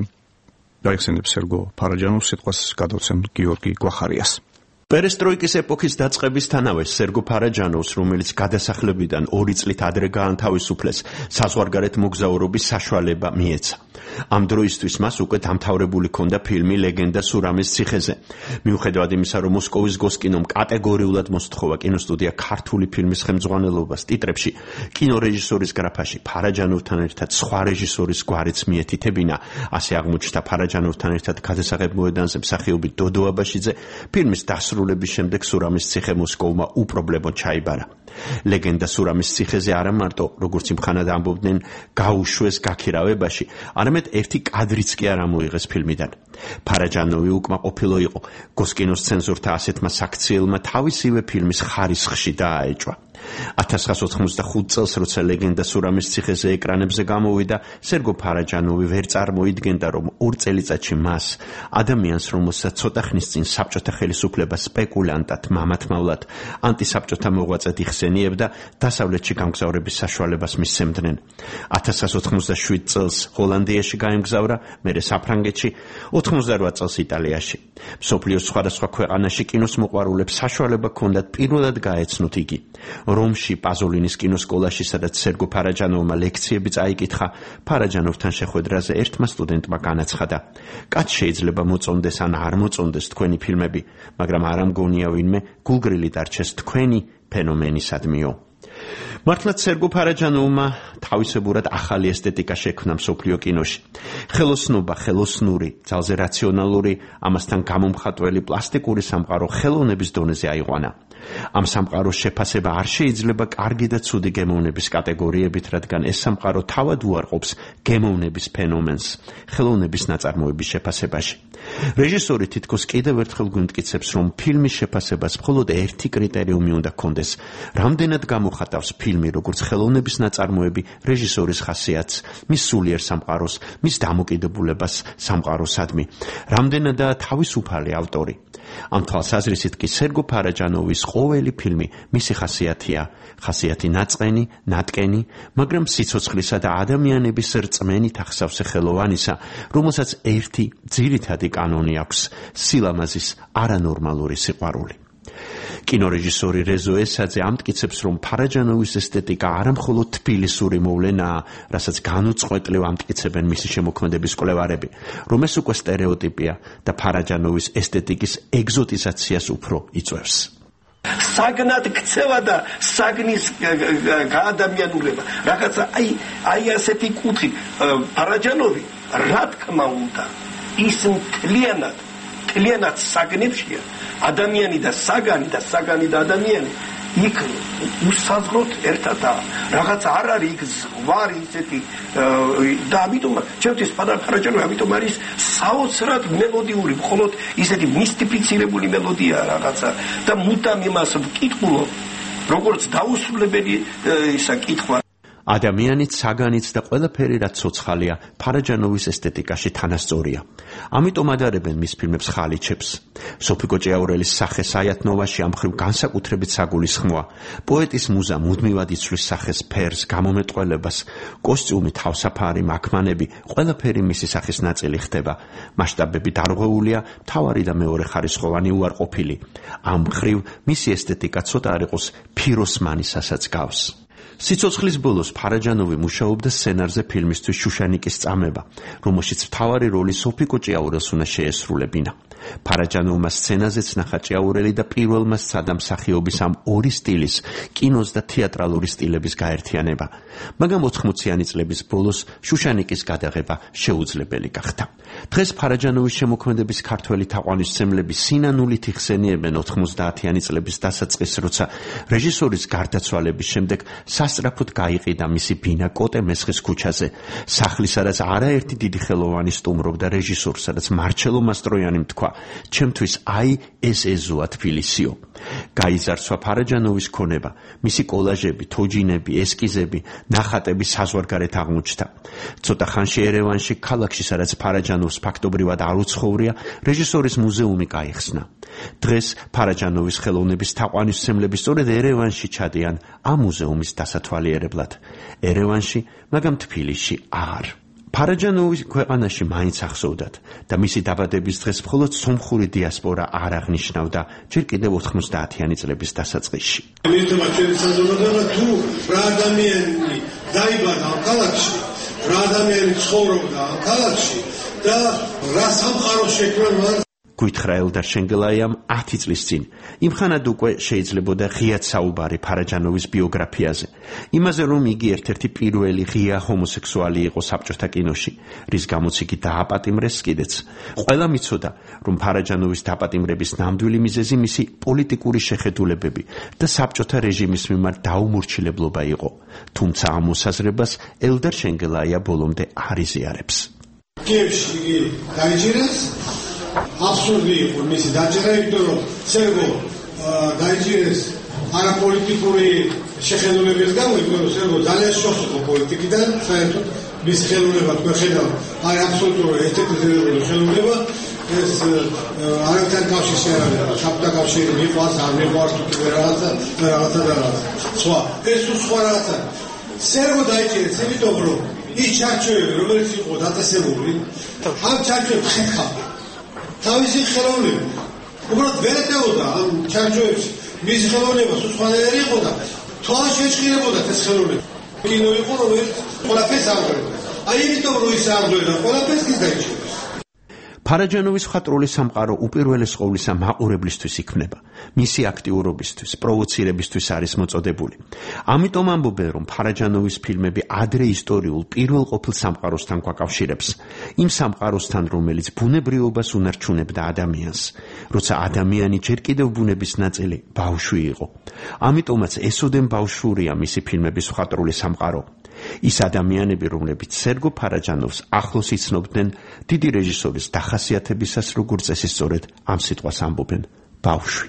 გაიხსენებს სერგო ფარაჯანოვს, სიტყვას გადავცემ გიორგი გვახარიას. პერესტროიკის ეპოქის დაწყებისთანავე სერგო ფარაჯანოვს, რომელიც გადასახლებიდან ორი წლით ადრე გაანთავისუფლეს, საზღვარგარეთ მოგზაურობის საშუალება მიეცა. ამ დროისთვის მას უკვე დამთავრებული ჰქონდა ფილმი ლეგენდა სურამის ციხეზე. მიუხედავად იმისა, რომ მოსკოვის გოსკინომ კატეგორიულად მოსთხოვა კინოსტუდია ქართული ფილმის ხელმძღვანელობას ტიტრებში, კინორეჟისორის გრაფაში ფარაჯანოვთან ერთად სხვა რეჟისორის გვარიც მიეთითებინა, ასე აღმოჩნდა ფარაჯანოვთან ერთად გადასაღებ მოედანზე მსახიობი დოდო აბაშიძე, ფილმის დასრულების შემდეგ სურამის ციხე მოსკოვმა უპრობლემოდ ჩაიბარა. ლეგენდა სურამის ციხეზე არა მარტო, როგორც იმხანად ამბობდნენ, გაუშვეს გაქირავებაში, არამედ ერთი კადრიც კი არ ამოიღეს ფილმიდან. ფარაჯანოვი უკმაყოფილო იყო გოსკინოს ცენზორთა ასეთმა საქციელმა თავისივე ფილმის ხარისხში დააეჭვა. ათას ცხრაასი ოთხმოცდახუთი წელს, როცა ლეგენდა სურამის ციხეზე ეკრანებზე გამოვიდა, სერგო ფარაჯანოვი ვერ წარმოიდგენდა, რომ ორ წელიწადში მას, ადამიანს, რომელსაც ცოტა ხნის წინ საბჭოთა ხელისუფლება სპეკულანტად, მამათმავლად, ანტისაბჭოთა მოღვაწედ იხსენიებდა, დასავლეთში გამგზავრების საშუალებას მისცემდნენ. ათას ცხრაასი ოთხმოცდაშვიდი წელს ჰოლანდიაში გაემგზავრა, მერე საფრანგეთში, ოთხმოცდარვა წელს იტალიაში. მსოფლიოს სხვადასხვა ქვეყანაში კინოს მოყვარულებს საშუალება ჰქონდათ პირველად გაეცნოთ იგი. რომში პაზოლინის კინოსკოლაში, სადაც სერგო ფარაჯანოვმა ლექციები წაიკითხა, ფარაჯანოვთან შეხვედრაზე ერთმა სტუდენტმა განაცხადა: კაც შეიძლება მოწონდეს ან არ მოწონდეს თქვენი ფილმები, მაგრამ არ ამგონია ვინმე გულგრილი დარჩეს თქვენი ფენომენისადმიო. მართლაც სერგო ფარაჯანოვმა თავისებურად ახალი ესთეტიკა შექმნა მსოფლიო კინოში. ხელოსნობა, ხელოსნური, ძალზე რაციონალური, ამასთან გამომხატველი პლასტიკური სამყარო ხელოვნების დონეზე აიყვანა. ამ სამყაროს შეფასება არ შეიძლება კარგი და ცუდი გემოვნების კატეგორიებით, რადგან ეს სამყარო თავად უარყოფს გემოვნების ფენომენს ხელოვნების ნაწარმოების შეფასებაში. რეჟისორი თითქოს კიდევ ერთხელ გვიმტკიცებს, რომ ფილმის შეფასებას მხოლოდ ერთი კრიტერიუმი უნდა ჰქონდეს: რამდენად გამოხატავს ფილმი როგორც ხელოვნების ნაწარმოები რეჟისორის ხასიათს, მის სულიერ სამყაროს, მის დამოკიდებულებას სამყაროსადმი, რამდენადაა თავისუფალი ავტორი. ამ თვალსაზრისით კი სერგო ფარაჯანოვის ყოველი ფილმი მისი ხასიათია, ხასიათი ნაწყენი, ნატკენი, მაგრამ სიცოცხლისა და ადამიანების რწმენით ახსავსე ხელოვანისა, რომელსაც ერთი ძირითადი კანონი აქვს: სილამაზის არანორმალური სიყვარული. კინორეჟისორი რეზო ესაძე ამტკიცებს, რომ ფარაჯანოვის ესთეტიკა არა მხოლოდ თბილისური მოვლენაა, რასაც განუწყვეტლივ ამტკიცებენ მისი შემოქმედების კვლევარები, რომ ეს უკვე სტერეოტიპია და ფარაჯანოვის ესთეტიკის ეგზოტიზაციას უფრო იწვევს. საგნად ქცევა და საგნის გაადამიანურება. რაღაცა აი აი ასეთი კუთხით ფარაჯანოვი რა თქმა უნდა ის მთლიანად მთლიანად საგნებშია. ადამიანი და საგანი და საგანი და ადამიანი იქ უსაზღროდ ერთადაა. რაღაც არ არის იქ ზღვარი ისეთი და ამიტომ ჩემთვის ფარაჯანოვი ამიტომ არის საოცრად მელოდიური, მხოლოდ ისეთი მისტიფიცირებული მელოდია რაღაცა და მუდამ იმას ვკითხულობ, როგორც დაუსრულებელი ისა კითხვა. ადამიანით, საგანით და ყველაფერი რაც ცოცხალია ფარაჯანოვის ესთეტიკაში თანასწორია. ამიტომ ადარებენ მის ფილმებს ხალიჩებს. სოფიკო ჭიაურელის სახე საიათნოვაში ამ მხრივ განსაკუთრებით საგულისხმოა. პოეტის მუზა მუდმივად იცვლის სახეს, ფერს, გამომეტყველებას, კოსტიუმი, თავსაფარი, მაქმანები, ყველაფერი მისი სახის ნაწილი ხდება. მასშტაბები დარღვეულია, მთავარი და მეორე ხარისხოვანი უარყოფილი. ამ მხრივ მისი ესთეტიკა ცოტა არ იყოს ფიროსმანისასაც გავს. სიცოცხლის ბოლოს ფარაჯანოვი მუშაობდა სცენარზე ფილმისთვის შუშანიკის წამება, რომელშიც მთავარი როლი სოფიკო ჭიაურელს უნდა შეესრულებინა. ფარაჯანოვმა სცენაზეც ნახა ჭიაურელი და პირველმა სცადა მსახიობის ამ ორი სტილის, კინოს და თეატრალური სტილების გაერთიანება. მაგრამ ოთხმოციანი წლების ბოლოს შუშანიკის გადაღება შეუძლებელი გახდა. დღეს ფარაჯანოვის შემოქმედების ქართველი თაყვანისმცემლები სინანულით იხსენიებენ ოთხმოცდაათიანი წლების დასაწყისს, როცა რეჟისორის გარდაცვალების შემდეგ სასწრაფოდ გაიყიდა მისი ბინა კოტე მესხის ქუჩაზე, სახლის, სადაც არაერთი დიდი ხელოვანი სტუმრობდა რეჟისორს, სადაც მარჩელო მასტროიანიმ თქვა: ჩემთვის აი ეს ეზოა თბილისიო. გაიზარსვა ფარაჯანოვის ქონება, მისი კოლაჟები, თოჯინები, ესკიზები, ნახატები საზღვარგარეთ აღმოჩნდა. ცოტა ხანში ერევანში, ქალაქში, სადაც ფარაჯანოვს ფაქტობრივად არ უცხოვრია, რეჟისორის მუზეუმი გაიხსნა. დღეს ფარაჯანოვის ხელოვნების თაყვანისმცემლები სწორედ ერევანში ჩადიან ამ მუზეუმის დასათვალიერებლად. ერევანში, მაგრამ თბილისში აღარ. ფარაჯანოვის ქვეყანაში მაინც ახსოვდათ და მისი დაბადების დღეს მხოლოდ სომხური დიასპორა არ აღნიშნავდა ჯერ კიდევ ოთხმოცდაათიანი წლების დასაწყისში. მითხრა ჩვენი საზოგადოება თუ რა ადამიანი დაიბადა ამ ქალაქში, რა ადამიანი ცხოვრობდა ამ ქალაქში და რა სამყარო შექმნა მან. გვითხრა ელდარ შენგელაიამ ათი წლის წინ. იმხანად უკვე შეიძლებოდა ღიად საუბარი ფარაჯანოვის ბიოგრაფიაზე. იმაზე, რომ იგი ერთ-ერთი პირველი ღია ჰომოსექსუალი იყო საბჭოთა კინოში, რის გამოც იგი დააპატიმრეს კიდეც. ყველა მიცოდა, რომ ფარაჯანოვის დაპატიმრების ნამდვილი მიზეზი მისი პოლიტიკური შეხედულებები და საბჭოთა რეჟიმის მიმართ დაუმორჩილებლობა იყო. თუმცა ამ მოსაზრებას ელდარ შენგელაია ბოლომდე არ იზიარებს. კიევში იგი დაიჭირეს. აბსურდი იყო მისი დაჭერა, იმიტომ რომ სერგო დაიჭირეს არაპოლიტიკური შეხედულების გამო, იმიტომ რომ სერგო ძალიან შოხ იყო პოლიტიკიდან, საერთოდ მის ხელოვნება თქვენ ხედავთ, არის აბსოლუტურად ესთეტიზირებული ხელოვნება, ეს არაერთი კავშირი არ არის, საბჭოთა კავშირი მიყვარს, არ მიყვარს თუ კიდე რაღაცა და რაღაცა და რაღაცა. სხვა, ეს სხვა რაღაცა. სერგო დაიჭირეს, იმიტომ რომ ის ჩარჩოები, რომელიც იყო დაწესებული, ამ ჩარჩოებს ხერხავდა. თავისი ხელოვნება უბრალოდ ვერ ეტეოდა ამ ჩარჩოებში მისი ხელოვნება სხვანაირი იყო და თვალ შეჭირებოდა ეს ხელოვნება. კინო იყო, რომელიც ყველაფერს აღღვევდა. აი იმიტომ რომ ის აღღვევდა ყველაფერს ის დაიჭირეს. ფარაჯანოვის მხატვრული სამყარო უპირველეს ყოვლისა მაყურებლისთვის იქმნება. მისი აქტიურობისთვის, პროვოცირებისთვის არის მოწოდებული. ამიტომ ამბობენ, რომ ფარაჯანოვის ფილმები ადრე ისტორიულ პირველ ყოფილ სამყაროსთან გვაკავშირებს. იმ სამყაროსთან, რომელიც ბუნებრიობას უნარჩუნებდა ადამიანს, როცა ადამიანი ჯერ კიდევ ბუნების ნაწილი ბავშვი იყო. ამიტომაც ესოდენ ბავშვურია მისი ფილმების მხატვრული სამყარო. ის ადამიანები, რომლებიც სერგო ფარაჯანოვს ახლოს იცნობდნენ დიდი რეჟისორის დახასიათებისას, როგორც წესი სწორედ ამ სიტყვას ამბობენ: ბავშვი.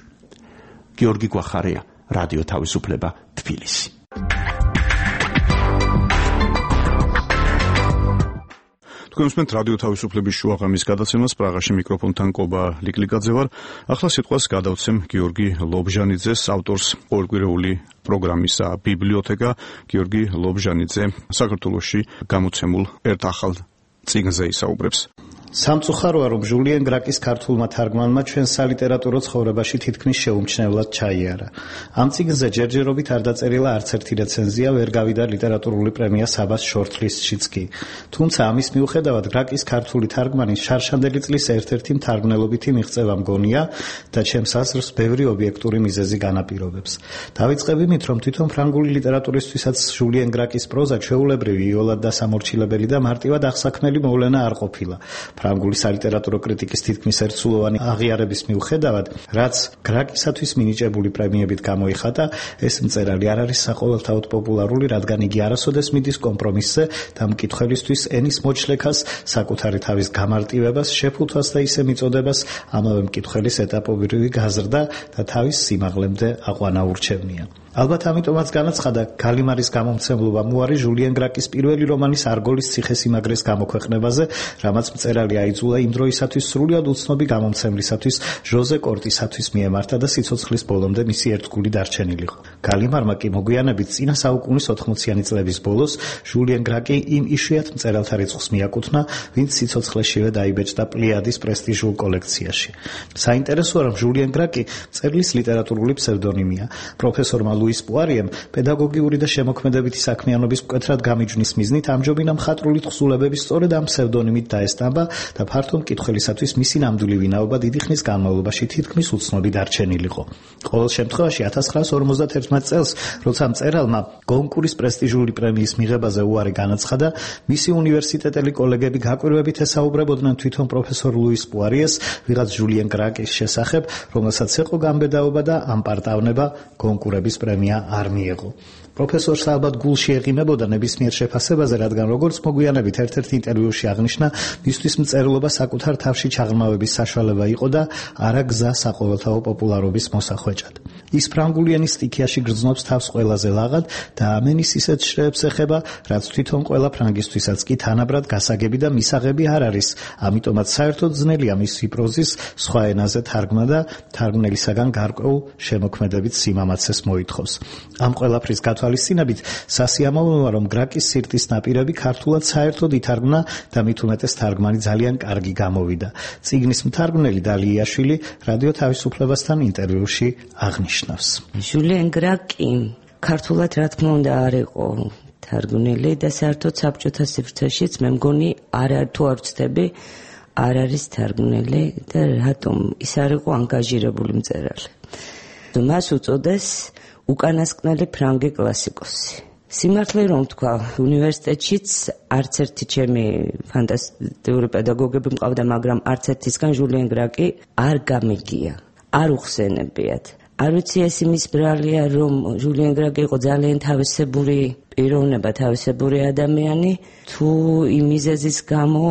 გიორგი გვახარია, რადიო თავისუფლება, თბილისი. თქვენ უსმენთ რადიო თავისუფლების შუაღამის გადაცემას, პრაღაში მიკროფონთან კობა ლიკლიკაძე ვარ. ახლა სიტყვას გადავცემ გიორგი ლობჟანიძეს, ავტორს ყოველკვირეული პროგრამისა ბიბლიოთეკა. გიორგი ლობჟანიძე საქართველოში გამოცემულ ერთ ახალ წიგნზე ისაუბრებს. სამწუხაროა, რომ ჟულიენ გრაკის ქართულმა თარგმანმა ჩვენ სალიტერატურო ცხოვრებაში თითქმის შეუმჩნევლად ჩაიარა. ამ წიგნზე ჯერჯერობით არ დაწერილა არც ერთი რეცენზია, ვერ გავიდა ლიტერატურული პრემია საბას შორტლისტშიც კი. თუმცა ამის მიუხედავად გრაკის ქართული თარგმანი შარშანდელი წლის ერთ-ერთი მთარგმნელობითი მიღწევა მგონია და ჩემს აზრს ბევრი ობიექტური მიზეზი განაპირობებს. დავიწყებ იმით, რომ თვითონ ფრანგული ლიტერატურისთვისაც ჟულიენ გრაკის პროზა ჩვეულებრივი, იოლად დასამორჩილებელი და მარტივად აღსაქმნელი მოვლენა არ ყოფილა. ფრანგული სალიტერატურო კრიტიკის თითქმის ერთსულოვანი აღიარების მიუხედავად, რაც გრაკისათვის მინიჭებული პრემიებით გამოიხატა, ეს მწერალი არ არის საყოველთაოდ პოპულარული, რადგან იგი არასოდეს მიდის კომპრომისზე და მკითხველისთვის ენის მოჩლექას, საკუთარი თავის გამარტივებას, შეფუთვას და ისე მიწოდებას ამავე მკითხველის ეტაპობრივი გაზრდა და თავის სიმაღლემდე აყვანა ურჩევნია. ალბათ ამიტომაც განაცხადა გალიმარის გამომცემლობა მუარი ჟულიენ გრაკის პირველი რომანის არგოლის ციხესიმაგრეს გამოქვეყნებაზე, რამაც მწერალი აიძულა იმ დროისათვის სრულიად უცნობი გამომცემლისათვის ჟოზე კორტისათვის მიემართა და სიცოცხლის ბოლომდე მისი ერთგული დარჩენილიყო. გალიმარმა კი მოგვიანებით წინა საუკუნის ოთხმოციანი წლების ბოლოს ჟულიენ გრაკი იმ იშვიათ მწერალთა რიცხვს მიაკუთვნა, ვინც სიცოცხლეშივე დაიბეჭდა პლიადის პრესტიჟულ კოლექციაში. საინტერესოა, რომ ჟულიენ გრაკი მწერლის ლიტერატურული ფსევდონიმია. პროფესორმა ლუის პუარიემ პედაგოგიური და შემოქმედებითი საქმიანობის მკვეთრად გამიჯვნის მიზნით ამჯობინა მხატვრული თხზულებების სწორედ ამ ფსევდონიმით დაესტამბა და ფართო მკითხველისათვის მისი ნამდვილი ვინაობა დიდი ხნის განმავლობაში თითქმის უცნობი დარჩენილიყო. ყოველ შემთხვევაში ათას ცხრაას ორმოცდათერთმეტ წელს, როცა მწერალმა გონკურის პრესტიჟული პრემიის მიღებაზე უარი განაცხადა, მისი უნივერსიტეტელი კოლეგები გაკვირვებით ესაუბრებოდნენ თვითონ პროფესორ ლუის პუარიეს, ვიღაც ჟულიენ გრაკის შესახებ, რომელსაც ეყო გამბედაობა და ამ პარტავნება გონკურების პრემია არ მიეღო. პროფესორს ალბათ გულში ეყიმებოდა ნებისმიერ შეფასებაზე, რადგან როგორც მოგვიანებით ერთ-ერთ ინტერვიუში აღნიშნა, მისთვის მწერლობა საკუთარ თავში ჩაღრმავების საშუალება იყო და არა გზა საყოველთაო პოპულარობის მოსახვეჭად. ის ფრანგულიანის სტიქიაში გრძნობს თავს ყველაზე ლაღად და ამენის ისეთ შრეებს ეხება, რაც თვითონ ყველა ფრანგისთვისაც კი თანაბრად გასაგები და მისაღები არ არის. ამიტომაც საერთოდ ძნელია მისი პროზის სხვა ენაზე თარგმნა და თარგმნელისაგან გარკვეულ შემოქმედებით სიმამაცეს მოითხოვს. ამ ყველაფრის გათვალისწინებით სასიამოვნოა, რომ გრაკის სირტის ნაპირები ქართულად საერთოდ ითარგმნა და მით უმეტეს თარგმანი ძალიან კარგი გამოვიდა. წიგნის მთარგმნელი დალიაშვილი რადიო თავისუფლებასთან ინტერვიუში აღნიშნავს. ჟულien გრაკი ქართულად რა თქმა უნდა არ იყო თარგმნილი და საერთოდ საბჭოთა სივრცეშიც მე მგონი არ თუ არ ვცდები არ არის თარგმნილი და რატომ ის არ იყო ანგაჟირებული მწერალი. მას უწოდეს უკანასკნელი ფრანგი კლასიკოსი. სიმართლე რომ თქვა, უნივერსიტეტშიც არც ერთი ჩემი ფანტასტიკური პედაგოგები მყავდა, მაგრამ არც ერთისგან ჟულien გრაკი არ გამიგია, არ უხსენებიათ. არ ვიცი ეს იმის ბრალია, რომ ჟულien გრაკი იყო ძალიან თავისებური პიროვნება, თავისებური ადამიანი, თუ იმ მიზეზის გამო,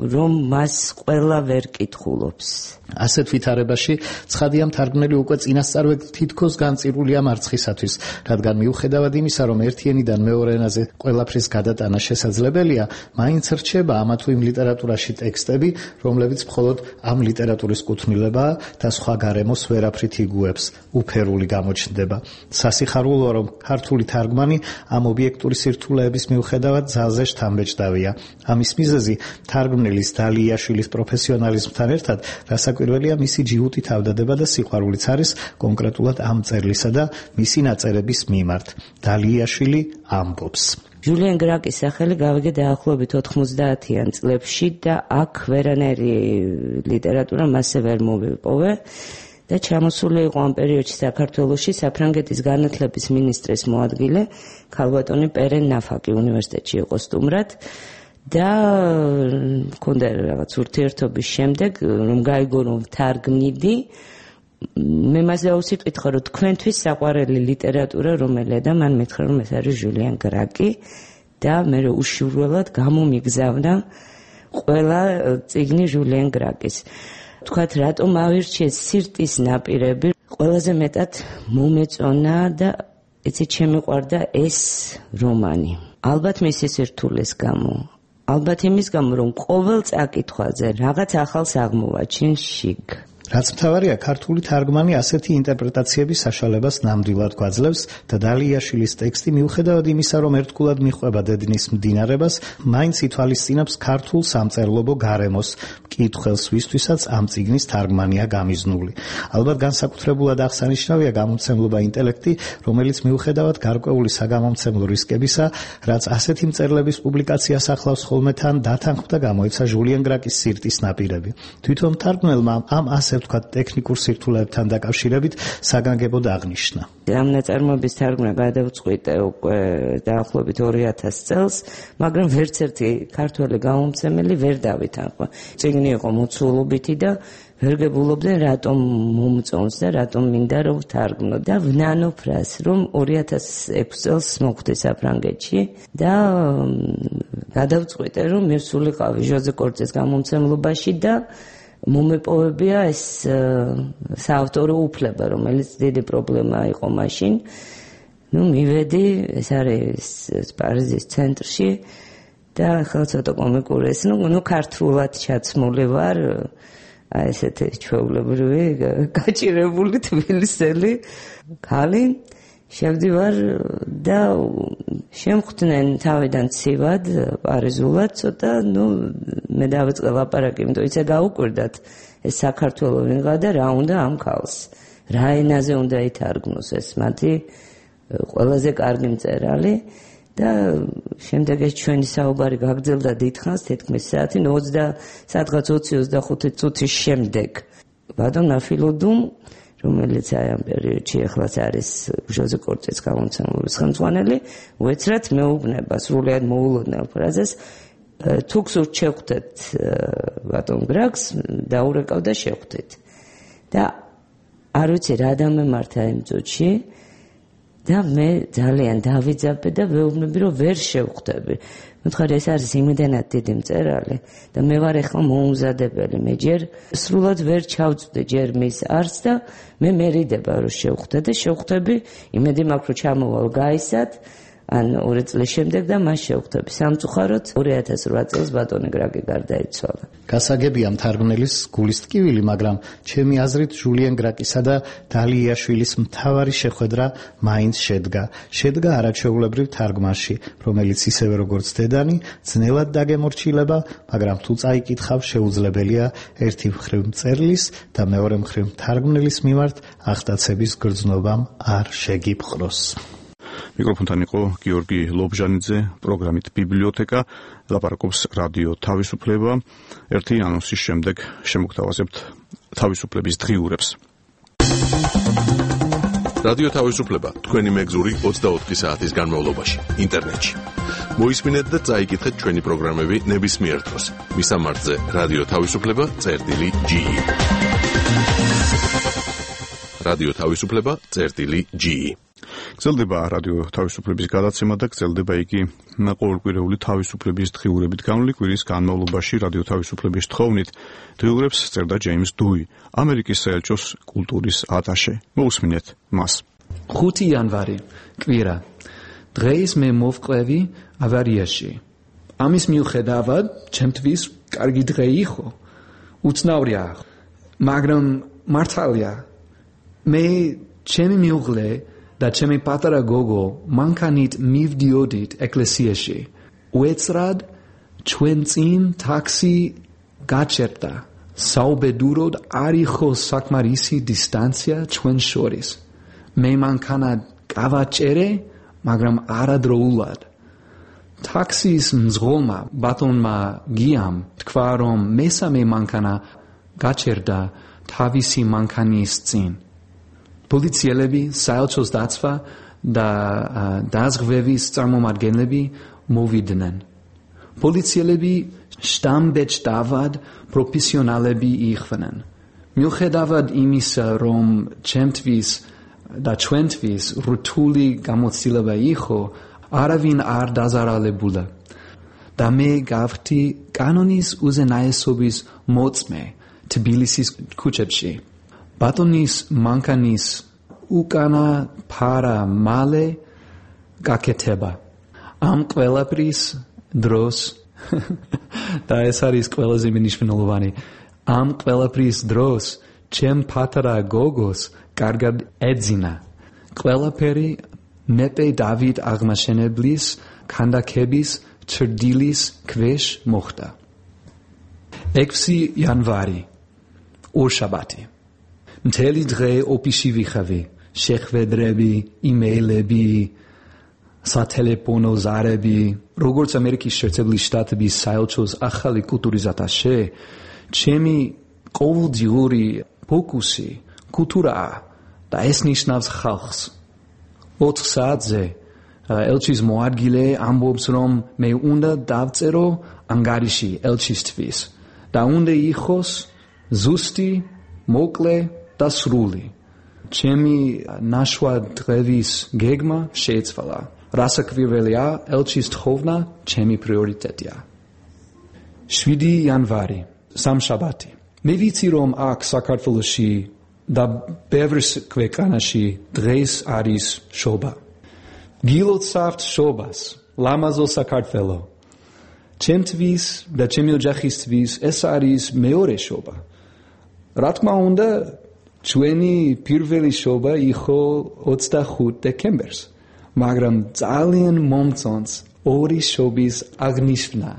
რომ მას ყველა ვერ კითხულობს. ასეთ ვითარებაში ცხადია მთარგმნელი უკვე წინასწარვე თითქოს განწირულია მარცხისათვის, რადგან მიუხედავად იმისა, რომ ერთი ენიდან მეორე ენაზე ყველაფრის გადატანა შესაძლებელია, მაინც რჩება ამა თუ იმ ლიტერატურაში ტექსტები, რომლებიც მხოლოდ ამ ლიტერატურის კუთვნილებაა და სხვა გარემოს ვერაფრით იგუებს, უფერული გამოჩნდება. სასიხარულოა, რომ ქართული თარგმანი ამ ობიექტური სირთულეების მიუხედავად ძალზე შთამბეჭდავია. ამის მიზეზი თარგმნელის დალიაშვილის პროფესიონალიზმთან ერთად რასაკვირველია მისი ჯიუტი თავდადება და სიყვარულიც არის კონკრეტულად ამ მწერლისა და მისი ნაწერების მიმართ. დალიაშვილი ამბობს. ჟულien გრაკის სახელი გავიგე დაახლოებით ოთხმოცდაათიან წლებში და აქ ვერანაირი ლიტერატურა მასზე ვერ მოვიპოვე. და ჩამოსული იყო ამ პერიოდში საქართველოში საფრანგეთის განათლების მინისტრის მოადგილე ქალბატონი პერენ ნაფაკი უნივერსიტეტში იყო სტუმრად და მქონდა რაღაც ურთიერთობის შემდეგ რომ გაიგო რომ თარგმნიდი მე მას დაუსიტყვით რომ თქვენთვის საყვარელი ლიტერატურა რომელია და მან მითხრა რომ ეს არის ჟულien გრაკი და მე უშუალოდ გამომიგზავნა ყველა წიგნი ჟულien გრაკის. თქვათ რატომ ავირჩიეს სირტის ნაპირები, ყველაზე მეტად მომეწონა და ეცე შემიყვარდა ეს რომანი. ალბათ მისი სირთულეს გამო, ალბათ იმის გამო, რომ ყოველ წაკითხვაზე რაღაც ახალს აღმოვაჩინ შიგ. რაც მთავარია, ქართული თარგმანი ასეთი ინტერპრეტაციების საშუალებას ნამდვილად გვაძლევს და დალიაშვილის ტექსტი მიუხედავად იმისა, რომ ერთგულად მიჰყვება დედნის მდინარებას, მაინც ითვალისწინებს ქართულ სამწერლობო გარემოს, მკითხველს, ვისთვისაც ამ წიგნის თარგმანია გამიზნული. ალბათ განსაკუთრებულად აღსანიშნავია გამომცემლობა ინტელექტი, რომელიც მიუხედავად გარკვეული საგამომცემლო რისკებისა, რაც ასეთი მწერლების პუბლიკაციას ახლავს ხოლმე თან დათანხმდა გამოიცა ჟულien გრაკის სირტის ნაპირები. თვითონ თარგმნელმა ამ ასე ვთქვათ ტექნიკურ სირთულეებთან დაკავშირებით საგანგებოდ აღნიშნა. ამ ნაწარმოების თარგმნა გადავწყვიტე უკვე დაახლოებით ორი ათას წელს, მაგრამ ვერც ერთი ქართველი გამომცემელი ვერ დავითანხმა. წიგნი იყო მოცულობითი და ვერ გებულობდნენ რატომ მომწონს და რატომ მინდა რომ ვთარგმნო და ვნანო ფრას რომ ორი ათას ექვსი წელს მოხვდი საფრანგეთში და გადავწყვიტე რომ მივსულიყავი ჟოზე კორწეს გამომცემლობაში და მომეპოვებია ეს საავტორო უფლება, რომელიც დიდი პრობლემა იყო მაშინ. ნუ მივედი, ეს არის პარიზის ცენტრში და ახლა ცოტა კომიკური ეს, ნუ ნუ ქართულად ჩაცმული ვარ, აი ესეთი ჩვეულებრივი გაჭირებული თბილისელი ქალი. შევდივარ და შემხვდნენ თავიდან ცივად პარიზულად ცოტა, ნუ მე დავიწყე ლაპარაკი, იმიტომ იცი გაუკვირდათ ეს საქართველო ვინღა და რა უნდა ამ ქალს. რა ენაზე უნდა ითარგმნოს ეს მათი ყველაზე კარგი მწერალი და შემდეგ ეს ჩვენი საუბარი გაგრძელდა დიდხანს, თითქმის საათი, ოცდა სადღაც ოცი ოცდახუთი წუთის შემდეგ ბატონ ნაფილოდუმ, რომელიც აი ამ პერიოდში ახლაც არის ჟოზე კორტის გამომცემლობის ხელმძღვანელი, უეცრად მეუბნება სრულიად მოულოდნელ ფრაზას, თუ გსურთ შევხვდეთ ბატონ გრაგს, დაურეკავ და შევხვდით. და არ ვიცი რა დამემართა იმ წუთში და მე ძალიან დავიძაბე და ვეუბნები, რომ ვერ შევხვდები. მითხარი, ეს არის იმდენად დიდი მწერალი და მე ვარ ახლა მოუმზადებელი, მე ჯერ სრულად ვერ ჩავწვდი ჯერ მის არც და მე მერიდება რომ შევხვდე და შევხვდები, იმედი მაქვს რომ ჩამოვალ გაისად, ან ორი წლის შემდეგ და მას შევხვდები. სამწუხაროდ ორი ათას რვა წელს ბატონი გრაგი გარდაიცვალა. გასაგებია მთარგმნელის გულის ტკივილი, მაგრამ ჩემი აზრით ჟულიან გრაკისა და დალიაშვილის მთავარი შეხვედრა მაინც შედგა. შედგა არაჩვეულებრივ თარგმანში, რომელიც ისევე როგორც დედანი, ძნელად დაგემორჩილება, მაგრამ თუ წაიკითხავ, შეუძლებელია ერთი მხრივ მწერლის და მეორე მხრივ თარგმნელის მიმართ ახტაცების გრძნობამ არ შეგიპყროს. მიკროფონთან იყო გიორგი ლობჟანიძე, პროგრამით ბიბლიოთეკა, ლაპარაკობს რადიო თავისუფლება. ერთი ანონსის შემდეგ შემოგთავაზებთ თავისუფლების დღიურებს. რადიო თავისუფლება თქვენი მეგზური ოცდაოთხი საათის განმავლობაში ინტერნეტში. მოისმინეთ და წაიკითხეთ ჩვენი პროგრამები ნებისმიერ დროს. მისამართზე რადიო თავისუფლება წერტილი ჯი. რადიო თავისუფლება წერტილი ჯი. გრძელდება რადიო თავისუფლების გადაცემა და გრძელდება იგი ყოველკვირეული თავისუფლების დღიურებით. გამული კვირის განმავლობაში რადიო თავისუფლების თხოვნით დღიურებს წერდა ჯეიმს დუი, ამერიკის საელჩოს კულტურის ატაშე. მოусმინეთ მას. ხუთი იანვარი, კვირა. დღეს მე მოვყვევი ავარიაში. ამის მიუხედავად, ჩემთვის კარგი დღე იყო. უცნაურია, მაგრამ მართალია. მე ჩემი მეუღლე და ჩემი პატარა გოგო მანქანით მივდიოდით ეკლესიაში. უეცრად ჩვენ წინ ტაქსი გაჩერდა. საუბედუროდ არ იყო საკმარისი დისტანცია ჩვენ შორის. მე მანქანა გავაჭერე, მაგრამ არადროულად. ტაქსის მძღოლმა ბატონმა გიამ თქვა, რომ მესამე მანქანა გაჩერდა თავისი მანქანის წინ. პოლიციელები, საელჩოს დაცვა და დაზღვევის წარმომადგენლები მოვიდნენ. პოლიციელები შტამბეჭდავად პროფესიონალები იყვნენ. მიუხედავად იმისა, რომ ჩემთვის და ჩვენთვის რთული გამოცდილება იყო, არავინ არ დაზარალებულა. და მე გავხდი კანონის უზენაესობის მოწმე თბილისის ქუჩებში. ბატონის მანქანის უკანა ფარა მალე გაკეთება. ამ ყველაფრის დროს და ეს არის ყველაზე მნიშვნელოვანი. ამ ყველაფრის დროს ჩემ პატარა გოგოს კარგად ეძინა. ყველაფერი მეფე დავით აღმაშენებლის ქანდაკების ჩრდილის ქვეშ მოხდა. ექვსი იანვარი, ორშაბათი. მთელი დღე ოფისში ვიხავი. შეხვედრები, იმეილები, სატელეფონო ზარები. როგორც ამერიკის შეერთებული შტატების საელჩოს ახალი კულტურის ატაშე, ჩემი ყოველდღიური ფოკუსი კულტურაა და ეს ნიშნავს ხალხს. ოთხ საათზე ელჩის მოადგილე ამბობს, რომ მე უნდა დავწერო ანგარიში ელჩისთვის და უნდა იყოს ზუსტი, მოკლე და სრული. ჩემი ნაშვა დღეების გეგმა შეიცვალა. რასაკვირველია, ელჩის თხოვნა ჩემი პრიორიტეტია. შვიდი იანვარი, სამშაბათი. მე ვიცი, რომ აქ საქართველოში და ბევრ ქვეყანაში დღეს არის შობა. გილოცავთ შობას, ლამაზო საქართველო. ჩემთვის და ჩემი ოჯახისთვის ეს არის მეორე შობა. რა თქმა უნდა, ჩვენი პირველი შობა იყო ოცდახუთი დეკემბერს, მაგრამ ძალიან მომწონს ორი შობის აღნიშვნა.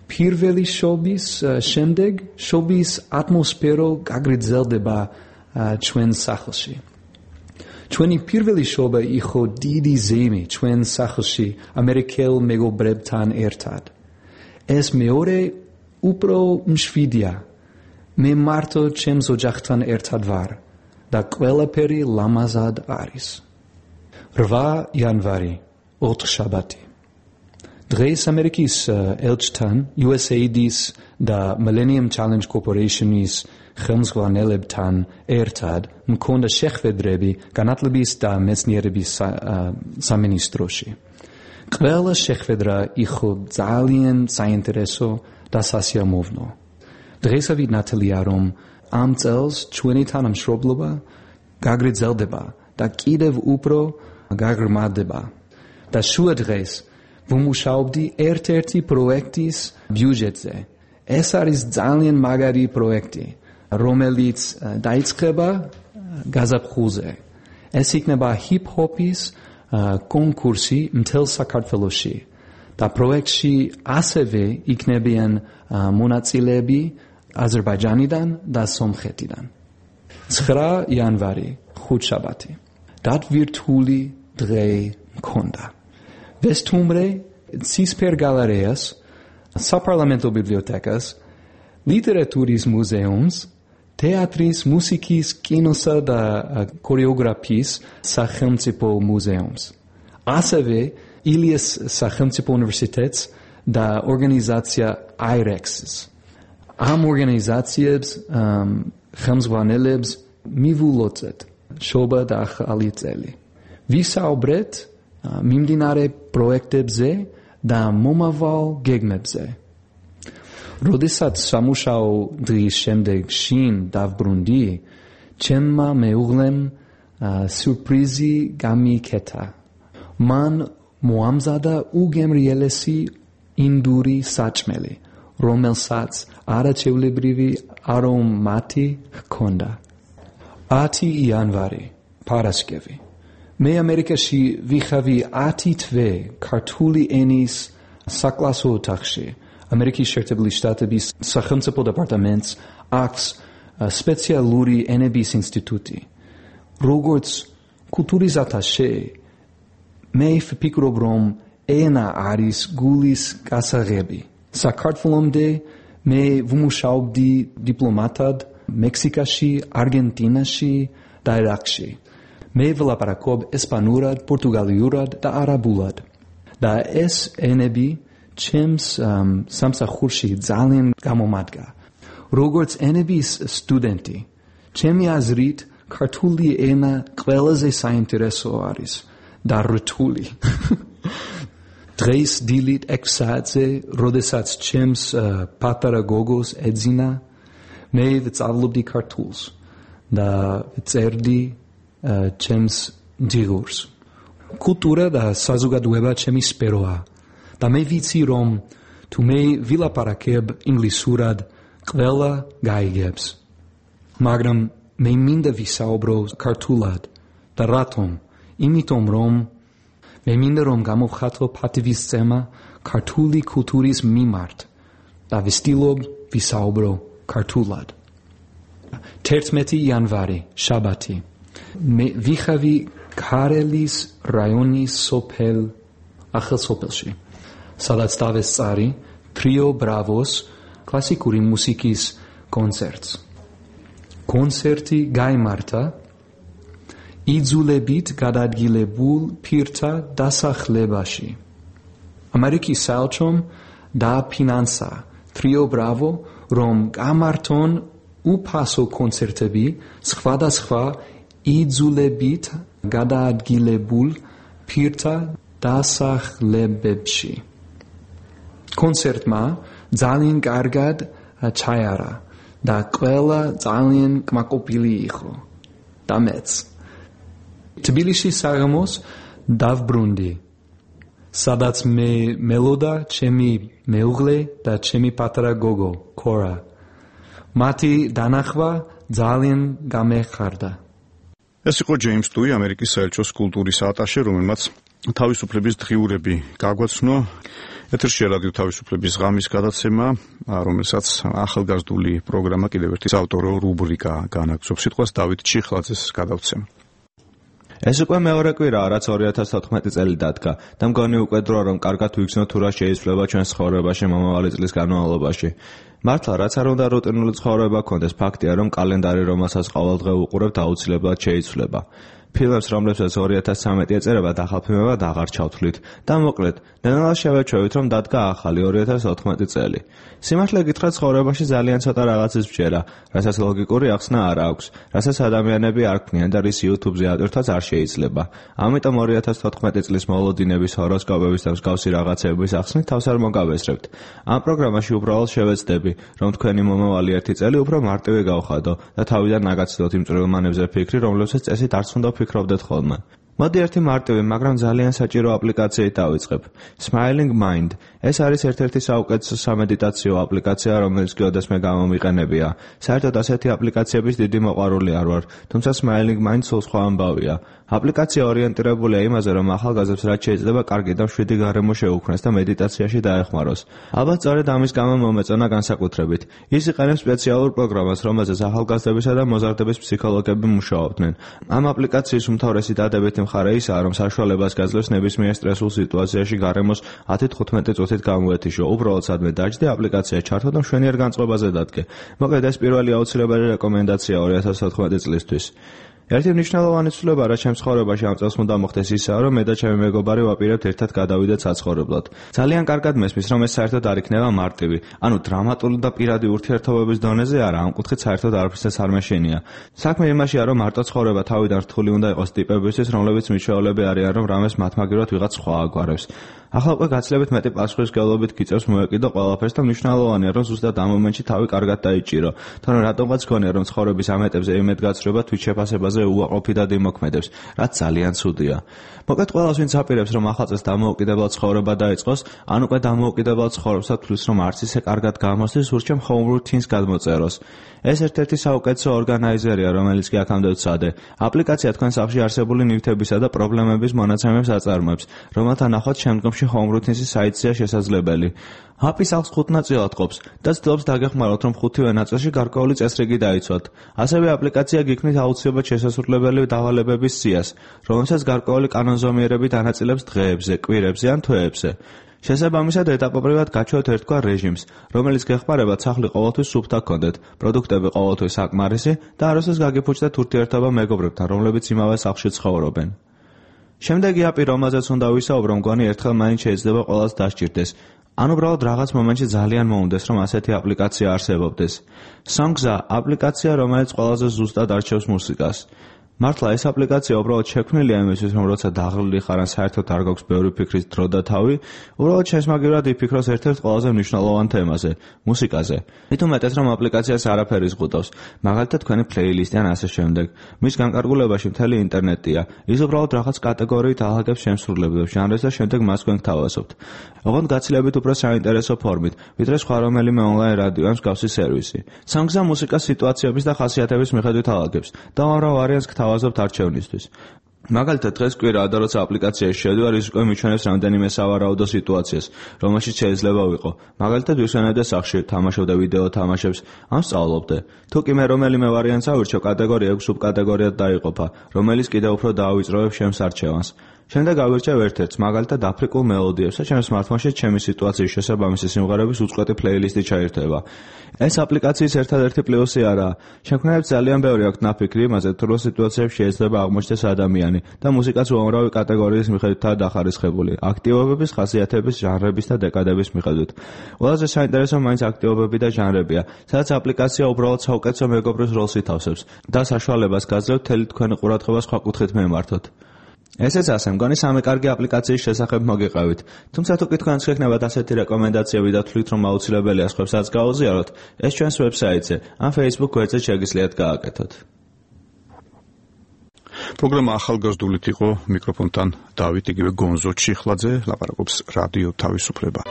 პირველი შობის შემდეგ შობის ატმოსფერო გაგრძელდება ჩვენ სახლში. ჩვენი პირველი შობა იყო დიდი ზეიმი ჩვენ სახლში ამერიკელ მეგობრებთან ერთად. ეს მეორე უფრო მშვიდია. მე მარტო ჩემს ოჯახთან ერთად ვარ და ყველაფერი ლამაზად არის. რვა იანვარი, ოთხშაბათი. დღეს ამერიკის ელჩთან, იუ ეს έი დი-ის და Millennium Challenge Corporation-ის ხელმძღვანელებთან ერთად მქონდა შეხვედრები განათლების და მეცნიერების სამინისტროში. ყველა შეხვედრა იყო ძალიან საინტერესო და სასიამოვნო. დღესავით ნათელია, რომ ამ წელს ჩვენი თანამშრომლობა გაგრძელდება და კიდევ უფრო გაღრმავდება. და შუა დღეს ვმუშაობდი ერთ-ერთი პროექტის ბიუჯეტზე. ეს არის ძალიან მაგარი პროექტი, რომელიც დაიწყება გაზაფხულზე. ეს იქნება ჰიპ-ჰოპის კონკურსი მთელ საქართველოში და პროექტში ასევე იქნებიან მონაწილეები აზერბაიჯანიდან და სომხეთიდან. ცხრა იანვარი, ხუთშაბათი. დატვირთული დღე მქონდა. ვესტუმრე ცისფერ გალერეას, საპარლამენტო ბიბლიოთეკას, ლიტერატურის მუზეუმს, თეატრის, მუსიკის, კინოსა და ქორეოგრაფიის სახელმწიფო მუზეუმს. ასევე ილიას სახელმწიფო უნივერსიტეტს და ორგანიზაცია აი რ ექს-ს. ამ ორგანიზაციებს ხელმძღვანელებს მივულოცეთ შობა და ახალი წელი. ვისაუბრეთ მიმდინარე პროექტებზე და მომავალ გეგმებზე. როდესაც სამუშაო დღის შემდეგ შინ დავბრუნდი, ჩემმა მეუღლემ სიურპრიზი გამიკეთა. მან მოამზადა უგემრიელესი ინდური საჭმელი, რომელსაც არაჩვეულებრივი არომატი ჰქონდა. ათი იანვარი, პარასკევი. მე ამერიკაში ვიხავი ათი თვე ქართული ენის საკლასო ოთახში. ამერიკის შეერთებული შტატების სახელმწიფო დეპარტამენტს აქვს სპეციალური ენების ინსტიტუტი. როგორც კულტურის ატაშე, მე ვფიქრობ, რომ ენა არის გულის გასაღები. საქართველომდე მე ვმუშაობდი დიპლომატად მექსიკაში, არგენტინაში და ერაყში. მე ვლაპარაკობ ესპანურად, პორტუგალიურად და არაბულად. და ეს ენები ჩემს სამსახურში ძალიან გამომადგა. როგორც ენების სტუდენტი, ჩემი აზრით, ქართული ენა ყველაზე საინტერესო არის და რთული. დღეს დილით ექვსი საათზე, როდესაც ჩემს პატარა გოგოს ეძინა, მე ვწავლობდი ქართულს და წერდი ჩემს ჯიგურს. კულტურა და საზოგადოება ჩემი სფეროა და მე ვიცი, რომ თუ მე ვილაპარაკებ ინგლისურად, ყველა გაიგებს. მაგრამ მე მინდა ვისაუბრო ქართულად და რატომ? იმიტომ რომ მე მინდა რომ გამოვხატო პატივისცემა ქართული კულტურის მიმართ და ვცდილობ ვისაუბრო ქართულად. თერთმეტი იანვარი, შაბათი. მე ვიხავი ქარელის რაიონის სოფელ ახალსოფელში, სადაც დავესწარი ტრიო ბრავოს კლასიკური მუსიკის კონცერტს. კონცერტი გაიმართა იძულებით გადაადგილებულ პირთა დასახლებაში. ამერიკის საელჩომ დააფინანსა ტრიო ბრავო, რომ გამართონ უფასო კონცერტები სხვადასხვა იძულებით გადაადგილებულ პირთა დასახლებებში. კონცერტმა ძალიან კარგად ჩაიარა და ყველა ძალიან კმაყოფილი იყო და მეც. თბილისში საღამოს დავბრუნდი, სადაც მე მელოდა ჩემი მეუღლე და ჩემი პატარა გოგო, კორა. მათი დანახვა ძალიან გამეხარდა. ეს იყო ჯეიმს ტუი, ამერიკის საელჩოს კულტურის ატაშე, რომელმაც თავისუფლების დღიურები გაგვაცნო. ეთერშია რადიო თავისუფლების ღამის გადაცემა, რომელსაც ახალგაზრდული პროგრამა კიდევ ერთი საავტორო რუბრიკა განაგზობს. სიტყვას დავით ჩიხლაძეს გადავცემ. ეს უკვე მეორე კვირაა, რაც ორი ათას თოთხმეტი წელი დადგა და მგონი უკვე დროა, რომ კარგად ვიგრძნოთ თუ რა შეიცვლება ჩვენს ცხოვრებაში მომავალი წლის განმავლობაში. მართლა, რაც არ უნდა რუტინული ცხოვრება გქონდეს, ფაქტია, რომ კალენდარი, რომელსაც ყოველდღე უყურებთ, აუცილებლად შეიცვლება. ფილმებს, რომლებსაც ორი ათას ცხრამეტი ეწერება, დახალფილმებად აღარ ჩავთვლით და მოკლედ, ნელ-ნელა შევეჩვევით, რომ დადგა ახალი ორი ათას ოთხმეტი წელი. სიმართლე გითხრათ, ცხოვრებაში ძალიან ცოტა რაღაცის ბჯერა, რასაც ლოგიკური ახსნა არ აქვს, რასაც ადამიანები არ ქმნიან და რის YouTube-ზე ატვირთვაც არ შეიძლება. ამიტომ ორი ათას თოთხმეტი წლის მოლოდინების, ჰოროსკოპების და მსგავსი რაღაცების ახსნით თავს არ მოგავესწრებთ. ამ პროგრამაში უბრალოდ შევეცდები, რომ თქვენი მომავალი ერთი წელი უფრო მარტივი გავხადო და თავიდან ნაგაცდოთ იმ წვრილმანებზე ფიქრი, რომლებსაც წესით არც უნდა ფიქრობდეთ ხოლმე. მოდი ერთი მარტივი, მაგრამ ძალიან საჭირო აპლიკაციით დავიწყებ. Smiling Mind. ეს არის ერთ-ერთი საუკეთესო სამედიტაციო აპლიკაცია, რომელიც გეოდესმე გამომიყენებია. საერთოდ ასეთი აპლიკაციების დიდი მოყვარული არ ვარ, თუმცა Smiling Mind სულ სხვა ამბავია. აპლიკაცია ორიენტირებულია იმაზე, რომ ახალგაზრდებს რაც შეიძლება კარგი და მშვიდი გარემო შეუქმნეს და მედიტაციაში დაეხმაროს. ალბათ სწორედ ამის გამო მომეწონა განსაკუთრებით. ის იყენებს სპეციალურ პროგრამას, რომელზეც ახალგაზრდებისა და მოზარდების ფსიქოლოგები მუშაობდნენ. ამ აპლიკაციის უმთავრესი დადებითი მხარე ისაა, რომ საშუალებას გაძლევს ნებისმიერ სტრესულ სიტუაციაში გარემოს ათი თხუთმეტი წუთით გამოეთიშო. უბრალოდ სადმე დაჯდე, აპლიკაცია ჩართო და მშვენიერ განწყობაზე დადგე. მოკლედ ეს პირველი აუცილებელი რეკომენდაცია ორი ათას თოთხმეტი წლისთვის. ერთი მნიშვნელოვანი ცვლილება, რაც ჩემს ცხოვრებაში ამ წელს უნდა მოხდეს, ისაა, რომ მე და ჩემი მეგობარი ვაპირებთ ერთად გადავიდეთ საცხოვრებლად. ძალიან კარგად მესმის, რომ ეს საერთოდ არ იქნება მარტივი, ანუ დრამატული და პირადი ურთიერთობების დონეზე არა, ამ კუთხით საერთოდ არაფრისას არ მეშენია. საქმე იმაშია, რომ მარტო ცხოვრება თავიდან რთული უნდა იყოს ტიპებისთვის, რომლებიც მიჩვეულები არიან, რომ რამეს მათმაგივრად ვიღაც სხვა აგვარებს. ახლა უკვე გაცილებით მეტი პასუხისმგებლობით გიწევს მოეკიდო ყველაფერს და მნიშვნელოვანია, რომ ზუსტად ამ მომენტში თავი კარგად დაიჭირო. თორემ რატომღაც გქონია, რომ ცხოვრების ამ ეტაპზე იმედგაცრუება თვით შეფასებაზე უაყოფითად იმოქმედებს, რაც ძალიან ცუდია. მოკლედ ყველას ვინც აპირებს, რომ ახალწელს დამოუკიდებლად ცხოვრება დაიწყოს, ან უკვე დამოუკიდებლად ცხოვრებსაც თვლის, რომ არც ისე კარგად გამოსდის, ურჩემ home routines გადმოწეროს. ეს ერთ-ერთი საუკეთესო ორგანიზერია, რომელიც კი აქამდე ვცადე. აპლიკაცია თქვენ სახლში არსებული ნივთებისა და პრობლემების მონაცემებს აწარმოებს, რომელთა ნახვაც შემდგომში home routines-ის საიტზეა შესაძლებელი. აპი სახლს ხუთ ნაწილად ყოფს და ცდილობს დაგეხმაროთ, რომ ხუთივე ნაწილში გარკვეული წესრიგი დაიცვათ. ასევე აპლიკაცია გიქმნით აუცილებლად შესაძლებელი დავალებების სიას, რომელსაც გარკვეული კანონზომიერებით ანაწილებს დღეებზე, კვირებზე ან თვეებზე. შესაბამისად ეტაპობრივად გაჩვევთ ერთგვარ რეჟიმს, რომელიც გეხმარებათ სახლი ყოველთვის სუფთა გქონდეთ, პროდუქტები ყოველთვის საკმარისი და არასდროს გაგიფუჭდეთ ურთიერთობა მეგობრებთან, რომლებიც იმავე სახლში ცხოვრობენ. შემდეგი აპი, რომელზეც უნდა ვისაუბრო, მგონი ერთხელ მაინც შეიძლება ყველას დასჭირდეს. ან უბრალოდ რაღაც მომენტში ძალიან მოუნდეს, რომ ასეთი აპლიკაცია არსებობდეს. Songs-a აპლიკაცია, რომელიც ყველაზე ზუსტად არჩევს მუსიკას. მართლა ეს აპლიკაცია უბრალოდ შექმნილია იმისთვის, რომ როცა დაღლილი ხარ ან საერთოდ არ გაქვს ბევრი ფიქრის დრო და თავი, უბრალოდ შესმაგივრად იფიქროს ერთ-ერთ ყველაზე მნიშვნელოვან თემაზე, მუსიკაზე. მით უმეტეს, რომ აპლიკაციას არაფერი ზღუდავს, მაგალითად თქვენი პლეილისტი ან ასე შემდეგ. მის განკარგულებაში მთელი ინტერნეტია. ის უბრალოდ რაღაც კატეგორიით აღაგებს შემსრულებლებს, ჟანრებს და შემდეგ მას თქვენ გთავაზობთ. ოღონდ გაცილებით უფრო საინტერესო ფორმით, ვიდრე სხვა რომელიმე ონლაინ რადიო ან მსგავსი სერვისი. Songs-a მუსიკას სიტუაციების და ხასიათების მიხედვით აღაგებს და უამრავ ვარიანტს გთავაზობთ არჩევნისთვის. მაგალითად დღეს კვირაა და როცა აპლიკაციაში შევდივარ, ის უკვე მიჩვენებს რამდენიმე სავარაუდო სიტუაციას, რომელშიც შეიძლება ვიყო. მაგალითად ვიხსენებდე სახლში, თამაშობდე ვიდეო თამაშებს, ან სწავლობდე. თუ კი მე რომელიმე ვარიანტს ავირჩევ, კატეგორია ექვს სუბკატეგორიად დაიყოფა, რომელიც კიდევ უფრო დაავიწროებს ჩემს არჩევანს. შემდეგ ავირჩევ ერთ-ერთს, მაგალითად აფრიკულ მელოდიებს და ჩემს smartphone-ში ჩემი სიტუაციის შესაბამისი სიმღერების უწყვეტი პლეილისტი ჩაირთვება. ეს აპლიკაციის ერთადერთი პლუსი არაა. შექმნელებს ძალიან ბევრი აქვთ ნაფიქრი იმაზე, თუ რა სიტუაციებში შეიძლება აღმოჩნდეს ადამიანი და მუსიკაც უამრავი კატეგორიის მიხედვითაა დახარისხებული, აქტივობების, ხასიათების, ჟანრების და დეკადების მიხედვით. ყველაზე საინტერესო მაინც აქტივობები და ჟანრებია, სადაც აპლიკაცია უბრალოდ საუკეთესო მეგობრის როლს ითავსებს და საშუალებას გაძლევთ მთელი თქვენი ყურადღება სხვა კუთხით მიმართოთ. ესეც ასე, მგონი სამი კარგი აპლიკაციის შესახებ მოგიყევით. თუმცა თუ კი თქვენს გექნებათ ასეთი რეკომენდაციები და თვლით, რომ აუცილებელია სხვებსაც გაუზიაროთ, ეს ჩვენს ვებსაიტზე ან Facebook გვერდზე შეგიძლიათ გააკეთოთ. პროგრამა ახალგაზრდულით იყო, მიკროფონთან დავით, იგივე გონზო ჩიხლაძე, ლაპარაკობს რადიო თავისუფლება.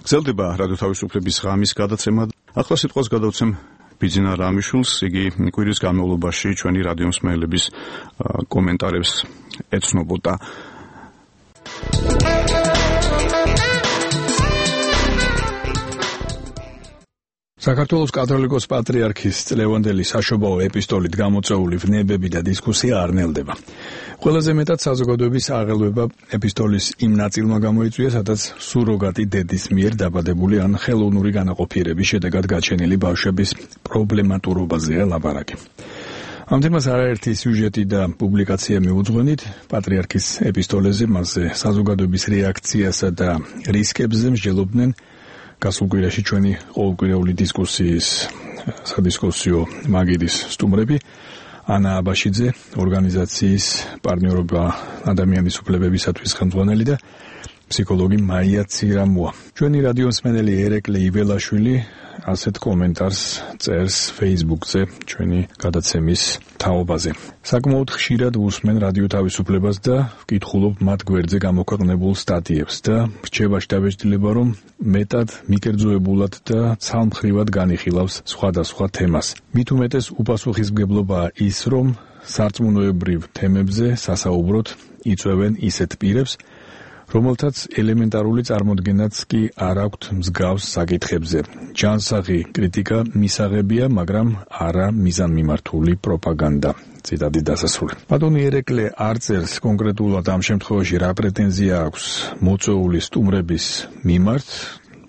გრძელდება რადიო თავისუფლების ღამის გადაცემა. ახლა სიტყვას გადავცემ ბიძინა რამიშვილს, იგი კვირის განმავლობაში ჩვენი რადიო მსმენელების კომენტარებს ეცნობოდა. საქართველოს კათოლიკოს პატრიარქის წლევანდელი საშობაო ეპისტოლით გამოწვეული ვნებები და დისკუსია არ ნელდება. ყველაზე მეტად საზოგადოების აღელვება ეპისტოლის იმ ნაწილმა გამოიწვია, სადაც სუროგატი დედის მიერ დაბადებული ან ხელოვნური განაყოფიერების შედეგად გაჩენილი ბავშვების პრობლემატურობაზეა ლაპარაკი. ამ თემას არაერთი სიუჟეტი და პუბლიკაცია მიუძღვენით, პატრიარქის ეპისტოლეზე მასზე საზოგადოების რეაქციასა და რისკებზე მსჯელობდნენ გასულ კვირაში ჩვენი ყოველკვირეული დისკუსიის სადისკუსიო მაგირის სტუმრები ანა აბაშიძე, ორგანიზაციის პარტნიორობა ადამიანის უფლებებისათვის ხელმძღვანელი და ფსიქოლოგი მაია ცირამუა. ჩვენი რადიო მსმენელი ერეკლე იველაშვილი ასეთ კომენტარს წერს Facebook-ზე ჩვენი გადაცემის თაობაზე. საკმაოდ ხშირად ვუსმენ რადიო თავისუფლებას და ვკითხულობ მათ გვერდზე გამოქვეყნებულ სტატიებს და რჩება შთაბეჭდილება, რომ მეტად მიკერძოებულად და ცალმხრივად განიხილავს სხვადასხვა თემას. მით უმეტეს უპასუხისმგებლობაა ის, რომ სარწმუნოებრივ თემებზე სასაუბროდ იწვევენ ისეთ პირებს, რომელთაც ელემენტარული წარმოდგენაც კი არ აქვთ მსგავს საკითხებზე. ჯანსაღი კრიტიკა მისაღებია, მაგრამ არა მიზანმიმართული პროპაგანდა. ციტატის დასასრული. ბატონი ერეკლე არ წერს კონკრეტულად ამ შემთხვევაში რა პრეტენზია აქვს მოწვეული სტუმრების მიმართ.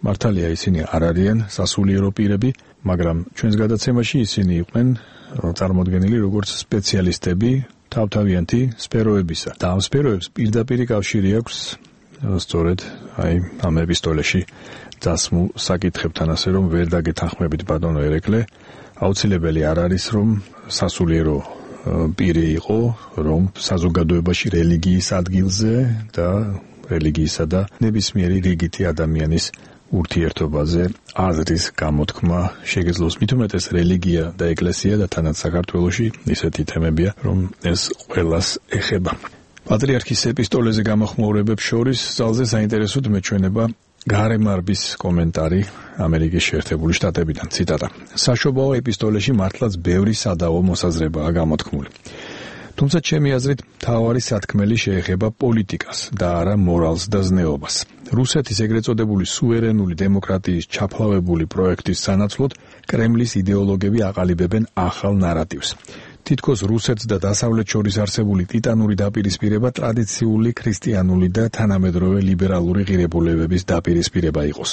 მართალია ისინი არ არიან სასულიერო პირები, მაგრამ ჩვენს გადაცემაში ისინი იყვნენ წარმოდგენილი როგორც სპეციალისტები თავთავიანთი სფეროებისა. და ამ სფეროებს პირდაპირ კავშირი აქვს სწორედ აი ამ ეპისტოლეში დასმულ საკითხებთან, ასე რომ ვერ დაგეთანხმებით ბატონო ერეკლე, აუცილებელი არ არის რომ სასულიერო პირი იყო, რომ საზოგადოებაში რელიგიის ადგილზე და რელიგიისა და ნებისმიერი რიგითი ადამიანის ურთიერთობაზე აზრის გამოთქმა შეგეძლოს. მით უმეტეს რელიგია და ეკლესია და თანაც საქართველოში ისეთი თემებია, რომ ეს ყველას ეხება. პატრიარქის ეპისტოლეზე გამოხმაურებებს შორის ძალზე საინტერესოდ მეჩვენება გარემარბის კომენტარი ამერიკის შეერთებული შტატებიდან. ციტატა. საშობაო ეპისტოლეში მართლაც ბევრი სადავო მოსაზრებაა გამოთქმული. თუმცა ჩემი აზრით მთავარი სათქმელი შეეხება პოლიტიკას და არა მორალს და ზნეობას. რუსეთის ეგრეთ წოდებული სუვერენული დემოკრატიის ჩაფლავებული პროექტის სანაცვლოდ კრემლის იდეოლოგები აყალიბებენ ახალ ნარატივს. თითქოს რუსეთს და დასავლეთ შორის არსებული ტიტანური დაპირისპირება ტრადიციული ქრისტიანული და თანამედროვე ლიბერალური ღირებულებების დაპირისპირება იყოს.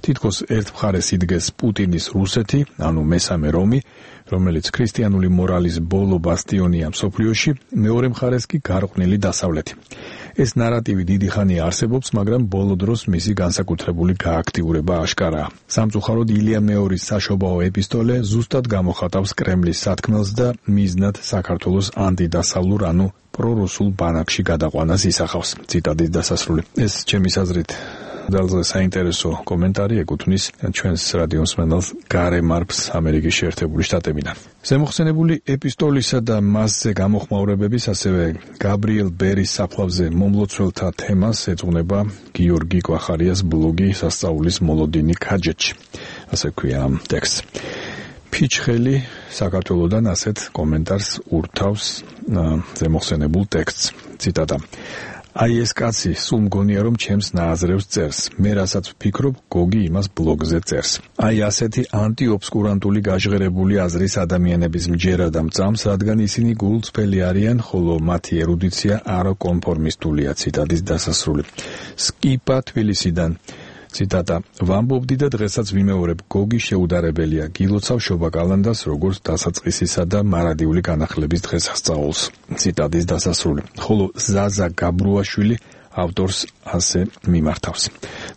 თითქოს ერთ მხარეს იდგეს პუტინის რუსეთი, ანუ მესამე რომი, რომელიც ქრისტიანული მორალის ბოლო ბასტიონია მსოფლიოში, მეორე მხარეს კი გარყვნილი დასავლეთი. ეს ნარატივი დიდი ხანია არსებობს, მაგრამ ბოლო დროს მისი განსაკუთრებული გააქტიურება აშკარაა. სამწუხაროდ ილია მეორის საშობაო ეპისტოლე ზუსტად გამოხატავს კრემლის სათქმელს და მიზნად საქართველოს ანტიდასავლურ, ანუ პრორუსულ ბანაკში გადაყვანას ისახავს. ციტატის დასასრული. ეს ჩემის აზრით ძალზე საინტერესო კომენტარი ეკუთვნის ჩვენს რადიო მსმენელს გარემარბს ამერიკის შეერთებული შტატებიდან. ზემოხსენებული ეპისტოლისა და მასზე გამოხმაურებების, ასევე გაბრიელ ბერის საფლავზე მომლოცველთა თემას ეძღვნება გიორგი კვახარიას ბლოგი სასწაულის მოლოდინი ქაჯეთში. ასე ქვია ამ ტექსტს. ფიჩხელი საქართველოდან ასეთ კომენტარს ურთავს ზემოხსენებულ ტექსტს. ციტატა. აი ეს კაცი სულ მგონია რომ ჩემს ნააზრევს წერს. მე რასაც ვფიქრობ, გოგი იმას ბლოგზე წერს. აი ასეთი ანტიობსკურანტული გაჟღერებული აზრის ადამიანების მჯერა და მწამს, რადგან ისინი გულწრფელი არიან, ხოლო მათი ერუდიცია არაკონფორმისტულია. ციტატის დასასრული. სკიპა თბილისიდან. ციტატა. ვამბობდი და დღესაც ვიმეორებ, გოგი შეუდარებელია. გილოცავ შობა კალანდას როგორც დასაწყისისა და მარადიული განახლების დღესასწაულს. ციტატის დასასრული. ხოლო ზაზა გაბრუაშვილი ავტორს ასე მიმართავს.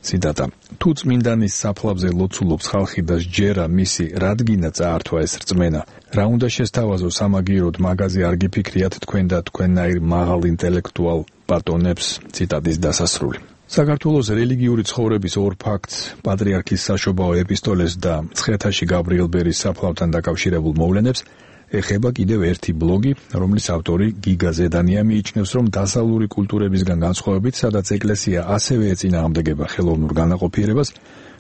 ციტატა. თუ წმინდანის საფლავზე ლოცულობს ხალხი და სჯერა მისი რადგინა წაართვა ეს რწმენა, რა უნდა შესთავაზო სამაგიეროდ მაგაზე არ გიფიქრიათ თქვენ და თქვენნაირ მაღალ ინტელექტუალ ბატონებს. ციტატის დასასრული. საქართველოს რელიგიური ცხოვრების ორ ფაქტს, პატრიარქის საშობაო ეპისტოლეს და მცხეთაში გაბრიელ ბერის საფლავთან დაკავშირებულ მოვლენებს ეხება კიდევ ერთი ბლოგი, რომლის ავტორი გიგა ზედანია მიიჩნევს, რომ დასავლური კულტურებისგან განსხვავებით, სადაც ეკლესია ასევე ეწინააღმდეგება ხელოვნურ განაყოფიერებას,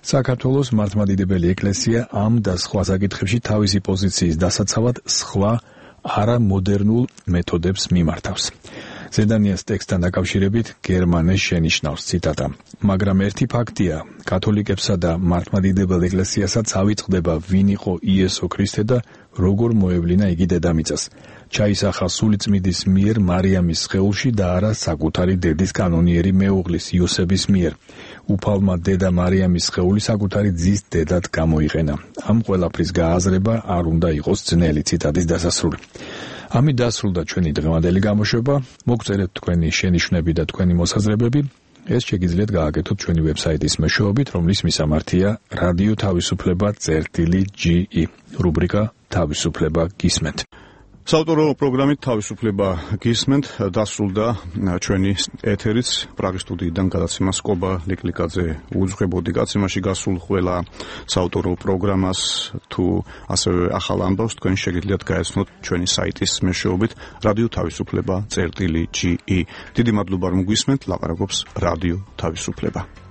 საქართველოს მართლმადიდებელი ეკლესია ამ და სხვა საკითხებში თავისი პოზიციის დასაცავად სხვა არამოდერნულ მეთოდებს მიმართავს. ზედანიას ტექსტთან დაკავშირებით გერმანეს შენიშნავს ციტატა. მაგრამ ერთი ფაქტია, კათოლიკებსა და მართლმადიდებელ ეკლესიასაც ავიწყდება ვინ იყო იესო ქრისტე და როგორ მოევლინა იგი დედამიწას. ჩაისახა სულიწმიდის მიერ მარიამის სხეულში და არა საკუთარი დედის კანონიერი მეუღლის იოსების მიერ. უფალმა დედა მარიამის სხეული საკუთარი ძის დედად გამოიყენა. ამ ყველაფრის გააზრება არ უნდა იყოს ძნელი. ციტატის დასასრული. ამით დასრულდა ჩვენი დღევანდელი გამოშვება. მოგწერეთ თქვენი შენიშვნები და თქვენი მოსაზრებები. ეს შეგიძლიათ გააკეთოთ ჩვენი ვებსაიტის მეშვეობით, რომლის მისამართია რადიო თავისუფლება წერტილი ჯი ი. რუბრიკა თავისუფლება გისმენთ. საავტორო პროგრამით თავისუფლება გისმენთ, დასრულდა ჩვენი ეთერიც პრაღის სტუდიიდან გადაცემა სკობა ლიკლიკაძე უძღვებოდი. გაცემაში გასულ ყველა საავტორო პროგრამას თუ ასევე ახალ ამბავს თქვენ შეგიძლიათ გაეცნოთ ჩვენი საიტის მეშვეობით რადიო თავისუფლება წერტილი ჯი ი. დიდი მადლობა რომ გვისმენთ, ლაპარაკობს რადიო თავისუფლება.